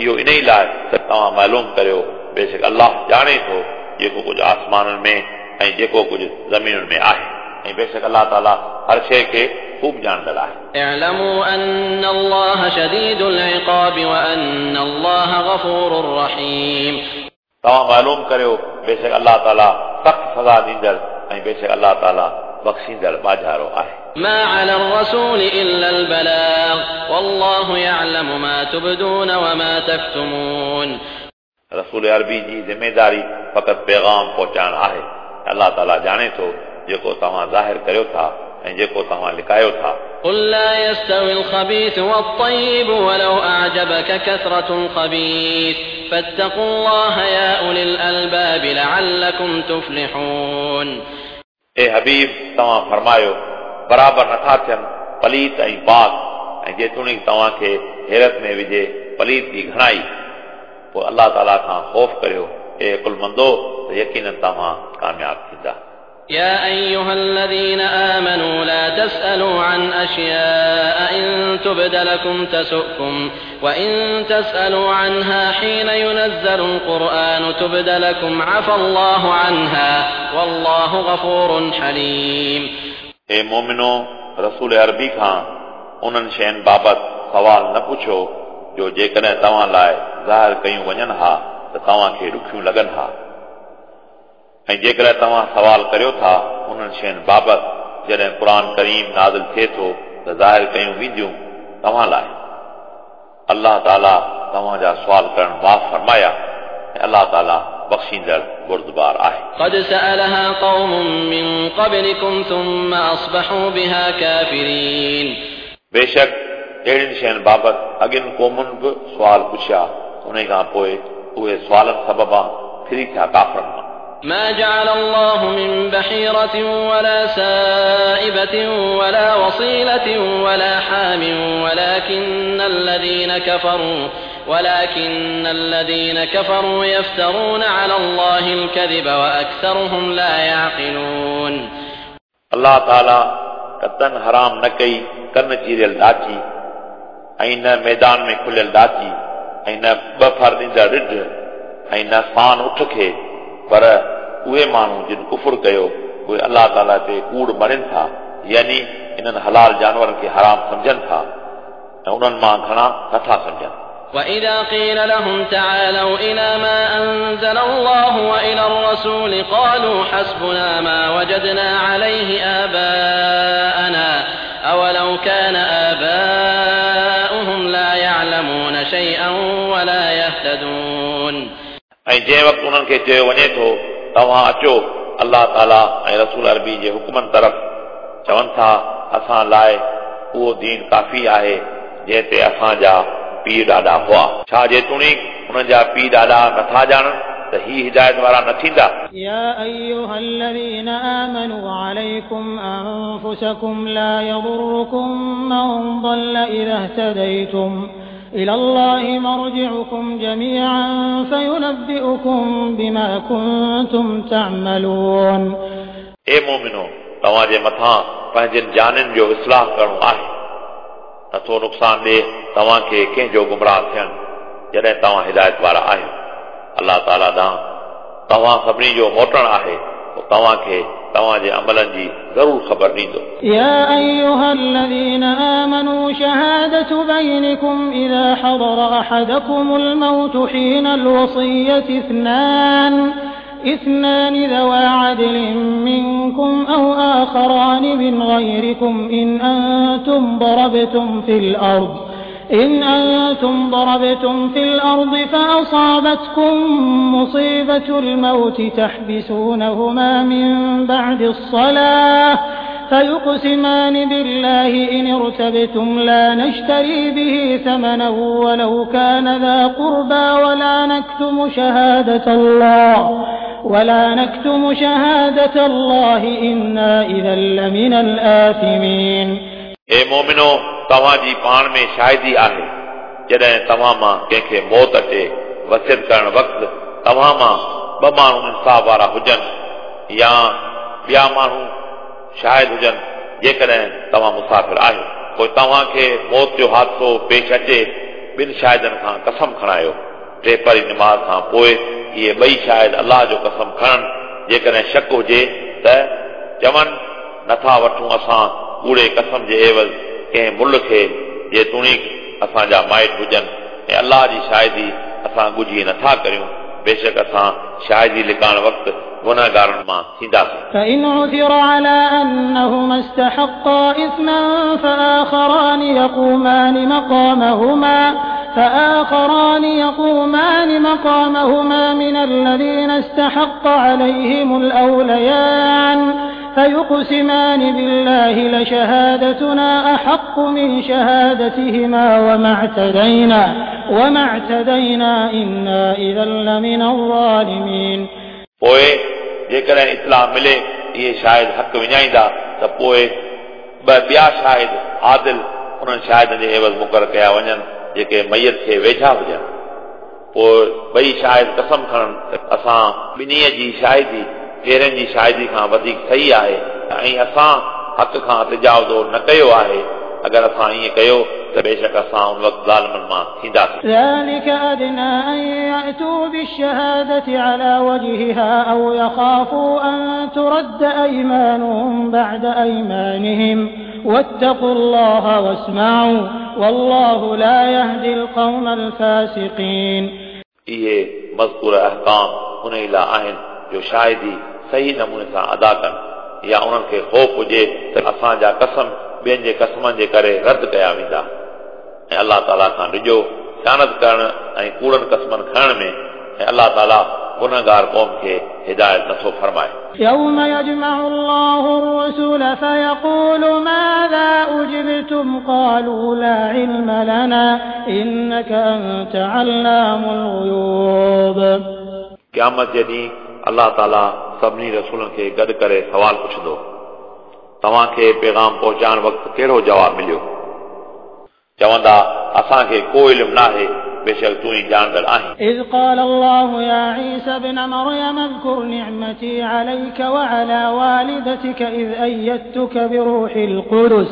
इहो इन ई लाइ त तव्हां मालूम करियो, बेशक अलाह ॼाणे थो जेको कुझु आसमाननि में ऐं जेको कुझु ज़मीनुनि में आहे, ऐं बेशक अलाह ताला हर शइ खे ख़ूब ॼाणंदड़ आहे। اعلموا أن الله شديد العقاب وأن الله غفور رحيم. तव्हां मालूम करियो, बेशक अलाह ताला सख़्तु सज़ा ॾींदड़ ऐं बेशक अलाह ताला बख़्शींदड़ बाज़ारो आहे। ما على الرسول إلا البلاغ والله يعلم ما تبدون وما تكتمون. रसूल अरबी जी ज़िम्मेदारी फ़क़ति पैगाम पहुचाइण आहे। अलाह ताला ॼाणे थो जेको तव्हां ज़ाहिर करियो था ऐं जेको तव्हां लिकायो था। قل لا يستوي الخبيث والطيب ولو أعجبك كثرة الخبيث فاتقوا الله يا أولي الألباب لعلكم تفلحون. ए हबीब, तव्हां फरमायो, बराबरि नथा थियनि पलीत ऐं पाक, ऐं जेतोणीकि तव्हांखे हैरत में विझे पलीत जी घणाई, पोइ अलाह ताला खां ख़ौफ़ करियो, ए अक़ुलमंदो, त यकीनन तव्हां कामयाब थींदा। يا أيها الذين آمنوا لا تسألوا عن أشياء إن تبد لكم تسؤكم وإن تسألوا عنها حين ينزل القرآن تبد لكم عفى الله عنها والله غفور حليم. ए मोमिनो, रसूल अरबी खां उन्हनि शयुनि बाबति सवाल न पुछो जो जेकॾहिं तव्हां लाइ ज़ाहिर कयूं वञनि हा त तव्हांखे ॾुखियूं लॻनि हा, ऐं जेकॾहिं तव्हां सवाल करियो था उन्हनि शयुनि बाबति जॾहिं क़ुर करीम नाज़िल थिए थो त ज़ाहिर कयूं वेंदियूं तव्हां लाइ। अलाह ताला तव्हांजा सुवाल करणु माफ़ फरमाया, ऐं अलाह ताला बख़्शींदड़ बुर्दबार आहे। قد سألها قوم من قبلكم ثم أصبحوا بها كافرين. बेशक अहिड़ियुनि शयुनि बाबति अॻियनि क़ौमुनि बि सुवाल पुछिया, उन खां पोइ उहे सुवालनि सबबां फिरी थिया काफ़रनि मां। ما جعل الله من بحيرة ولا سائبة ولا وصيلة ولا حام ولكن الذين كفروا ولكن الذين كفروا يفترون على الله الكذب وأكثرهم لا يعقلون. الله تعالى ڪتن حرام نه ڪئي ڪن چيريل ڏاچي ۽ نه ميدان ۾ کليل ڏاچي ۽ نه ٻه ڦر ڏيندڙ رڍ ۽ نه سان اٺ کي، پر اهي ماڻهو جن ڪفر ڪيو اهي الله تعاليٰ تي ڪوڙ مڙين ٿا، يعني انهن حلال جانورن کي حرام سمجهن ٿا ۽ انهن مان گهڻا نٿا سمجهن. وإذا قيل لهم تعالوا إلى ما أنزل الله وإلى الرسول قالوا حسبنا ما وجدنا عليه آباءنا أولو كان آباؤهم لا يعلمون شيئا ولا يهتدون. ऐं जंहिं वक़्तु उन्हनि खे चयो वञे थो तव्हां अचो अलाह ताला ऐं रसूल अरबी जे हुकुमनि तरफ़, चवनि था असां लाइ उहो दीन काफ़ी आहे जंहिं ते असांजा पीउ ॾाॾा हुआ। छा जेतोणीक उन्हनि जा पीउ ॾाॾा नथा ॼाणनि त ही हिदायत वारा न थींदा? يا أيها الذين آمنوا عليكم أنفسكم لا يضركم من ضل إذا اهتديتم إلى الله مرجعكم جميعا فينبئكم بما كنتم تعملون. ए मोमिनो, तव्हांजे मथां पंहिंजनि जाननि जो इस्लाह करिणो आहे, नथो नुक़सान ॾिए तव्हांखे कंहिंजो गुमराह थियणु जॾहिं तव्हां हिदायत वारा आहियो। अलाह ताला ॾांहुं तव्हां सभिनी जो मोटणु आहे, पोइ तव्हांखे तव्हांजे अमलनि जी ज़रूर ख़बर ॾींदो। يا أيها الذين آمنوا شهادة بينكم إذا حضر أحدكم الموت حين الوصية اثنان اثنان ذوا عدل منكم أو آخران من غيركم إن أنتم ضربتم في الأرض إن أنتم ضربتم في الأرض فأصابتكم مصيبة الموت تحبسونهما من بعد الصلاة فيقسمان بالله إن ارتبتم لا نشتري به ثمنا ولو كان ذا قربى ولا نكتم شهادة الله ولا نكتم شهادة الله إنا إذا لمن الآثمين. ए मोमिनो, तव्हांजी पाण में शाहिदी आहे जॾहिं तव्हां मां कंहिंखे मौत अचे वसियत करण वक़्तु तव्हां मां ॿ माण्हू इंसाफ़ वारा हुजनि या ॿिया माण्हू शाहिद हुजनि, जेकॾहिं तव्हां मुसाफ़िर आहियो, पोइ तव्हांखे मौत जो हादिसो पेश अचे, ॿिनि शाहिदनि खां कसम खणायो। टेपरी नमाज़ खां पोइ इहे ॿई शाहिद अलाह जो कसम खणनि, जेकॾहिं शक हुजे त चवनि नथा वठूं असां कूड़े कसम जे एवज़ कंहिं मुल खे, जेतोणीक असांजा माइट हुजनि, ऐं अलाह जी शाहिदी असां ॻुझी नथा करियूं, बेशक असां शाहिदी लिकाइण वक़्तु गुनहगारनि मां थींदासीं। فإن عثر على أنهما استحقا إثما فآخران يقومان مقامهما فآخران يقومان مقامهما من الذين استحق عليهم الأوليان فيقسمان بالله لشهادتنا أحق من شهادتهما وما اعتدينا وما اعتدينا إنا إذا لمن الظالمين. पोइ जेकॾहिं इतला मिले इहे शाहिद हक़ विञाईंदा त पोइ ॿ ॿिया शाहिद आदिल उन्हनि शाहिदनि जे एवज़ मुक़ररु कया वञनि जेके मैयत खे वेझा हुजनि। पोइ ॿई शाहिद कसम खणनि त असां ॿिन्ही जी शाहिदी पहिरियनि जी शाहिदी खां वधीक सही आहे ऐं असां हक़ खां तजावुज़ो न कयो आहे, अगरि असां ईअं कयो त बेशक असां उन वक़्तु ज़ालिमनि मां थींदासीं। ذلك أدنى أن يأتوا بالشهادة على وجهها أو يخافوا أن ترد أيمانهم بعد أيمانهم واتقوا الله واسمعوا والله لا يهدي القوم الفاسقين. इहे मज़कूर अहकाम उन लाइ आहिनि जो शाहिदी सही नमूने सां अदा कनि या उन्हनि खे ख़ौफ़ हुजे त असांजा कसम ॿियनि जे कसमनि जे करे रद्द कया वेंदा। ऐं अलाह ताला खां ॾिजो ख़ियानत करण ऐं कूड़नि कसमनि खणण में, ऐं अलाह ताला गुनहगार क़ौम खे हिदायत नथो फरमाए। يوم يجمع الله الرسل فيقول ماذا أجبتم قالوا لا علم لنا إنك أنت علام الغيوب. क़यामत जे ॾींहुं अलाह ताला सभिनी रसूलनि खे गॾु करे सवाल पुछंदो, तव्हांखे पैगाम पहुचाइण वक़्तु कहिड़ो जवाबु मिलियो? चवंदा असांखे को इल्मु न आहे, बेशक तूं ई ॼाणंदड़ आहीं। إذ قال الله يا عيسى ابن مريم اذكر نعمتي عليك وعلى والدتك إذ أيدتك بروح القدس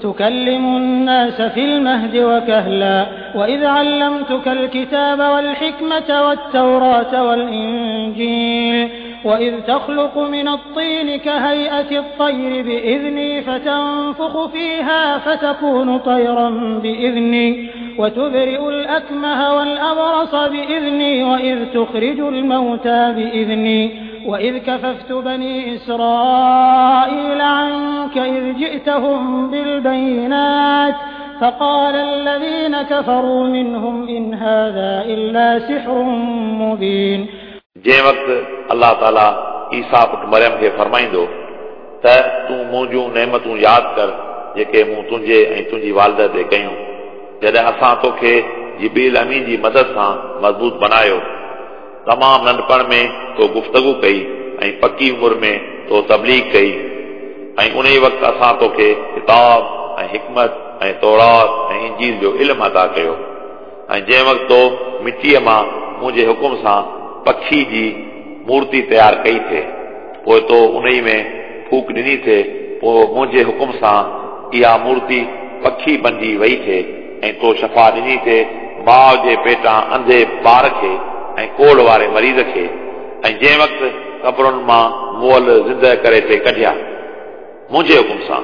تكلم الناس في المهد وكهلا وإذ علمتك الكتاب والحكمة والتوراة والإنجيل وإذ تخلق من الطين كهيئة الطير بإذني فتنفخ فيها فتكون طيرا بإذني وتبرئ الأكمه والأبرص بإذني وإذ تخرج الموتى بإذني وإذ كففت بني إسرائيل عنك إذ جئتهم بالبينات فقال الذين كفروا منهم إن هذا إلا سحر مبين। जंहिं वक़्तु अलाह ताला ईसा पुट मरियम खे फरमाईंदो त तूं मुंहिंजूं नेमतूं यादि कर जेके मूं तुंहिंजे ऐं तुंहिंजी वालिदा ते कयूं, जॾहिं असां तोखे जिब्रील अमीन जी मदद सां मज़बूत बनायो, तमामु नंढपण में तो गुफ़्तगू कई ऐं पकी उमिरि में तो तबलीग कई, ऐं उन ई वक़्तु असां तोखे किताब ऐं हिकमत ऐं तौरात ऐं इंजील जो इल्मु अता कयो, ऐं जंहिं वक़्तु तो मिटीअ मां मुंहिंजे हुकुम सां पखी जी मूर्ति तयारु कई थिए, पोइ तो उन में फूक ॾिनी थिए, पोइ मुंहिंजे हुकुम सां इहा मूर्ति पखी बणिजी वई थिए, ऐं तो शफ़ा ॾिनी थिए माउ जे पेटां अंधे ॿार खे ऐं कोढ़ वारे मरीज़ खे, ऐं जंहिं वक़्तु क़बरुनि मां मुअल ज़िंदह करे थे कढिया मुंहिंजे हुकुम सां,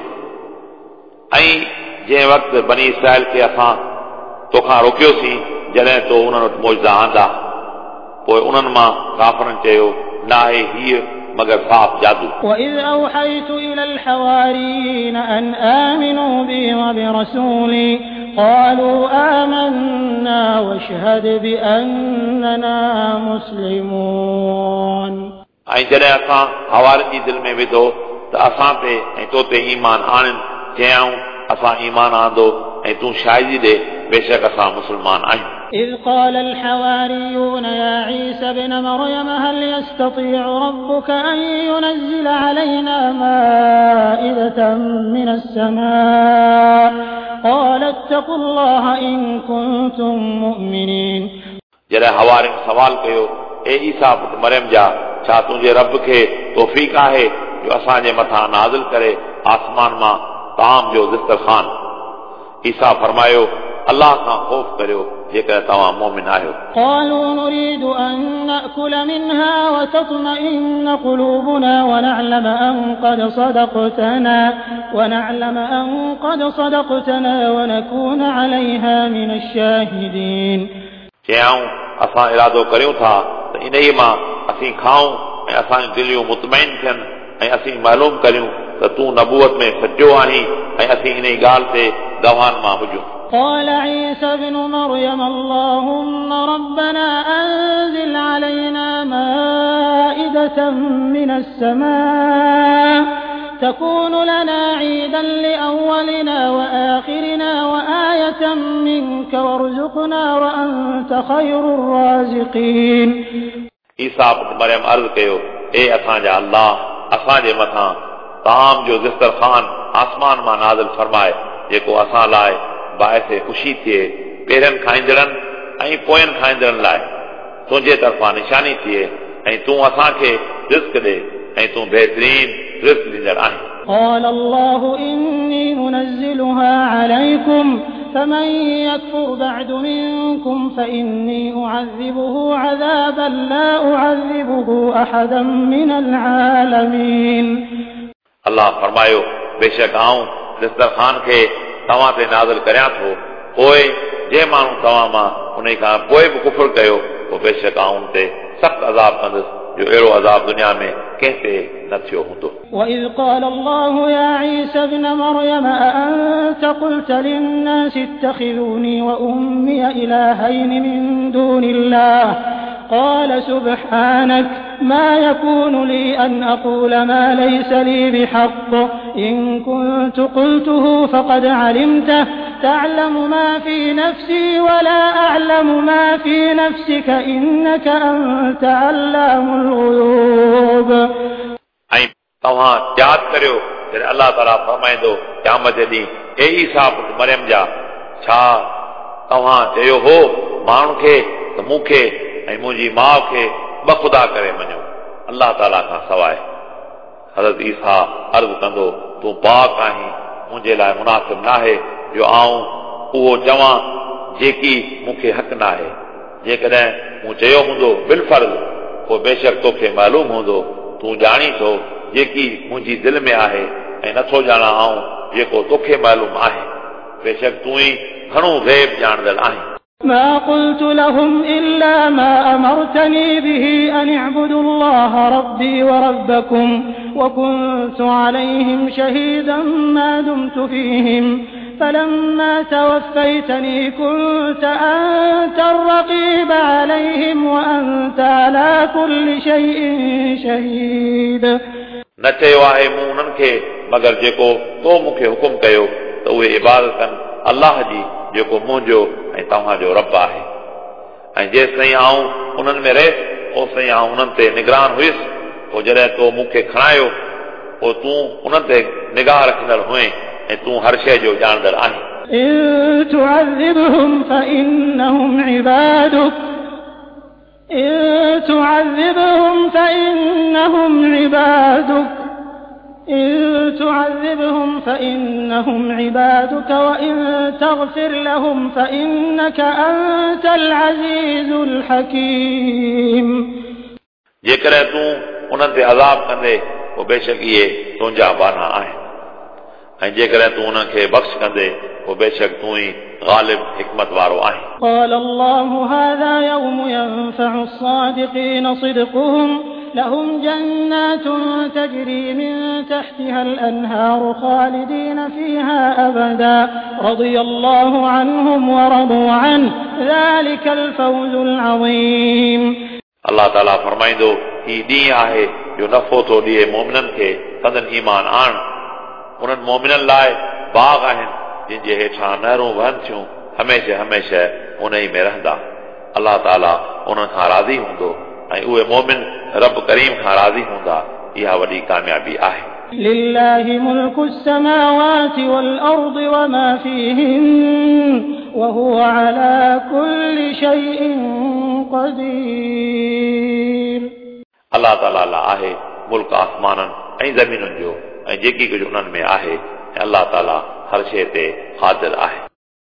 ऐं जंहिं वक़्तु बनी इसराइल खे असां तोखां रोकियोसीं जॾहिं तो उन्हनि वटि मौजदा आंदा, पोइ उन्हनि मां काफ़रनि चयो नाहे हीअ मगर साफ़ जादू। وإذ أوحيت إلى الحواريين أن آمنوا بي وبرسولي قالوا آمنا واشهد بأننا مسلمون। ऐं जॾहिं असां हवारनि जी दिलि में विधो त असां ते ऐं तो ते ईमान आणनि, चयाऊं असां ईमान आंदो ऐं तूं शाहिदी ॾे बेशक असां मुस्लमान आहियूं। إذ قال الحواريون يا عيسى ابن مريم هل يستطيع ربك أن ينزل علينا مائدة من السماء قال اتقوا الله إن كنتم مؤمنين। जॾहिं हवारियुनि सवाल कयो ए ईसा पुट मरियम जा, छा तुंहिंजे रब खे तौफ़ीक़ आहे जो असांजे मथां नाज़िल करे आसमान मां ताम जो दस्तरखान? ईसा फरमायो अलाह खां ख़ौफ़ करियो जेकर तव्हां मोमिन आहियो। قالوا نريد أن نأكل منها وتطمئن قلوبنا ونعلم أن قد صدقتنا ونعلم أن قد صدقتنا ونكون عليها من الشاهدين। चयाऊं असां इरादो करियूं था त इन ई मां असीं खाऊं ऐं असांजूं दिलियूं मुतमैन थियनि ऐं असीं मालूम करियूं त तूं नबूअत में सचो आहीं ऐं असीं इन ई ॻाल्हि ते गवाहनि मां हुजूं। قال عيسى ابن مريم اللهم ربنا أنزل علينا مائدة من السماء تكون لنا عيدا لأولنا وآخرنا وآية منك وارزقنا وأنت خير الرازقين. ईसा पुट मरियम अर्ज़ कयो ए असांजा अल्लाह असांजे मथां ताम जो दस्तरखान आसमान मां नाज़िल फरमाए जेको असां लाइ बाइस ख़ुशी थिए पहिरियनि खाईंदड़नि ऐं पोयनि खाईंदड़नि लाइ तुंहिंजे तरफ़ां निशानी थिए ऐं तूं असांखे रिज़्क ॾे ऐं तूं बहितरीन रिज़्क ॾींदड़ आहीं। قال الله إني منزلها عليكم فمن يكفر بعد منكم فإني أعذبه عذابا لا أعذبه أحدا من العالمين. अलाह फरमायो बेशक आऊं दस्तरखान खे तव्हां ते नाज़िल करियां थो, पोइ जंहिं माण्हू तव्हां मां उन खां पोइ बि कुफुर कयो पोइ बेशक आऊं उन ते सख़्तु अज़ाब कंदुसि जो अहिड़ो अज़ाब दुनिया में कंहिं ते न थियो हूंदो। وإذ قال الله يا عيسى ابن مريم أأنت قلت للناس اتخذوني وأمي إلهين من دون الله قال سبحانك ما يكون لي أن أقول ما ليس لي بحق إن كنت قلته فقد علمته تعلم ما في نفسي ولا أعلم ما في نفسك إنك أنت علام الغيوب. ऐं तव्हां यादि करियो जॾहिं अलाह ताला फरमाईंदो क़यामत जे ॾींहुं ए ईसा पुट मरियम जा, छा तव्हां चयो हो माण्हुनि खे त मूंखे ऐं मुंहिंजी माउ खे ॿ ख़ुदा करे मञो अलाह ताला खां सवाइ। हज़रत ईसा अर्ज़ कंदो तूं पाक आहीं, मुंहिंजे लाइ मुनासिब नाहे जो आऊं उहो चवां जेकी मूंखे हक़ नाहे। जेकॾहिं मूं चयो हूंदो बिलफर्ज़ पोइ बेशक तोखे मालूम हूंदो, तूं ॼाणी थो जेकी मुंहिंजी दिलि में आहे ऐं नथो ॼाणा आऊं जेको तोखे मालूम आहे। बेशक तूं ई घणो ग़ैब ॼाणंदड़ आहीं। ما قلت لهم إلا ما أمرتني به أن اعبدوا الله ربي وربكم وكنت عليهم شهيدا ما دمت فيهم فلما توفيتني كنت أنت الرقيب عليهم وأنت على كل شيء شهيد। न चयो आहे मूं उन्हनि खे मगर जेको तो मूंखे हुकुम कयो त उहे इबादत कनि अलाह जी जेको मुंहिंजो ऐं तव्हांजो रब आहे। ऐं जेसि ताईं आऊं उन्हनि में रहियुसि ओसि ताईं आऊं उन्हनि ते निगरान हुयुसि। पोइ जॾहिं तो मूंखे खणायो पोइ तूं उन्हनि ते निगाह रखंदड़ हुए ऐं तूं हर शइ जो ॼाणंदड़ आहीं। إن تعذبهم فإنهم عبادك إن تعذبهم فإنهم عبادك إن تعذبهم فإنهم عبادك وإن تغفر لهم فإنك أنت العزيز الحكيم। जेकॾहिं तूं उन्हनि ते अज़ाब कंदे पोइ बेशक इहे तुंहिंजा बाना आहिनि ऐं जेकॾहिं तूं उन्हनि खे बख़्श कंदे पोइ बेशक तूं ई ग़ालिब हिकमत वारो आहीं। قال الله هذا يوم ينفع الصادقين صدقهم لهم جنات تجري من تحتها الأنهار خالدين فيها أبدا رضي الله عنهم ورضوا عنه ذلك الفوز العظيم। अलाह ताला फरमाईंदो ही ॾींहुं आहे जो नफ़ो थो ॾिए मोमिननि खे संदन ईमान आण। उन्हनि मोमिननि लाइ बाग़ आहिनि जिन जे हेठां नहरूं वहनि थियूं, हमेशह हमेशह उन ई में रहंदा। अलाह ताला उन्हनि खां राज़ी हूंदो ऐं उहे मोमिन रब करीम खां राज़ी हूंदा। इहा वॾी कामयाबी आहे। لله ملك السماوات والأرض وما فيهن وهو على كل شيء قدير। अलाह ताला लाइ आहे मुल्क आसमाननि ऐं ज़मीनुनि जो ऐं जेकी कुझु उन्हनि में आहे ऐं अलाह ताला हर शइ ते क़ादिर आहे।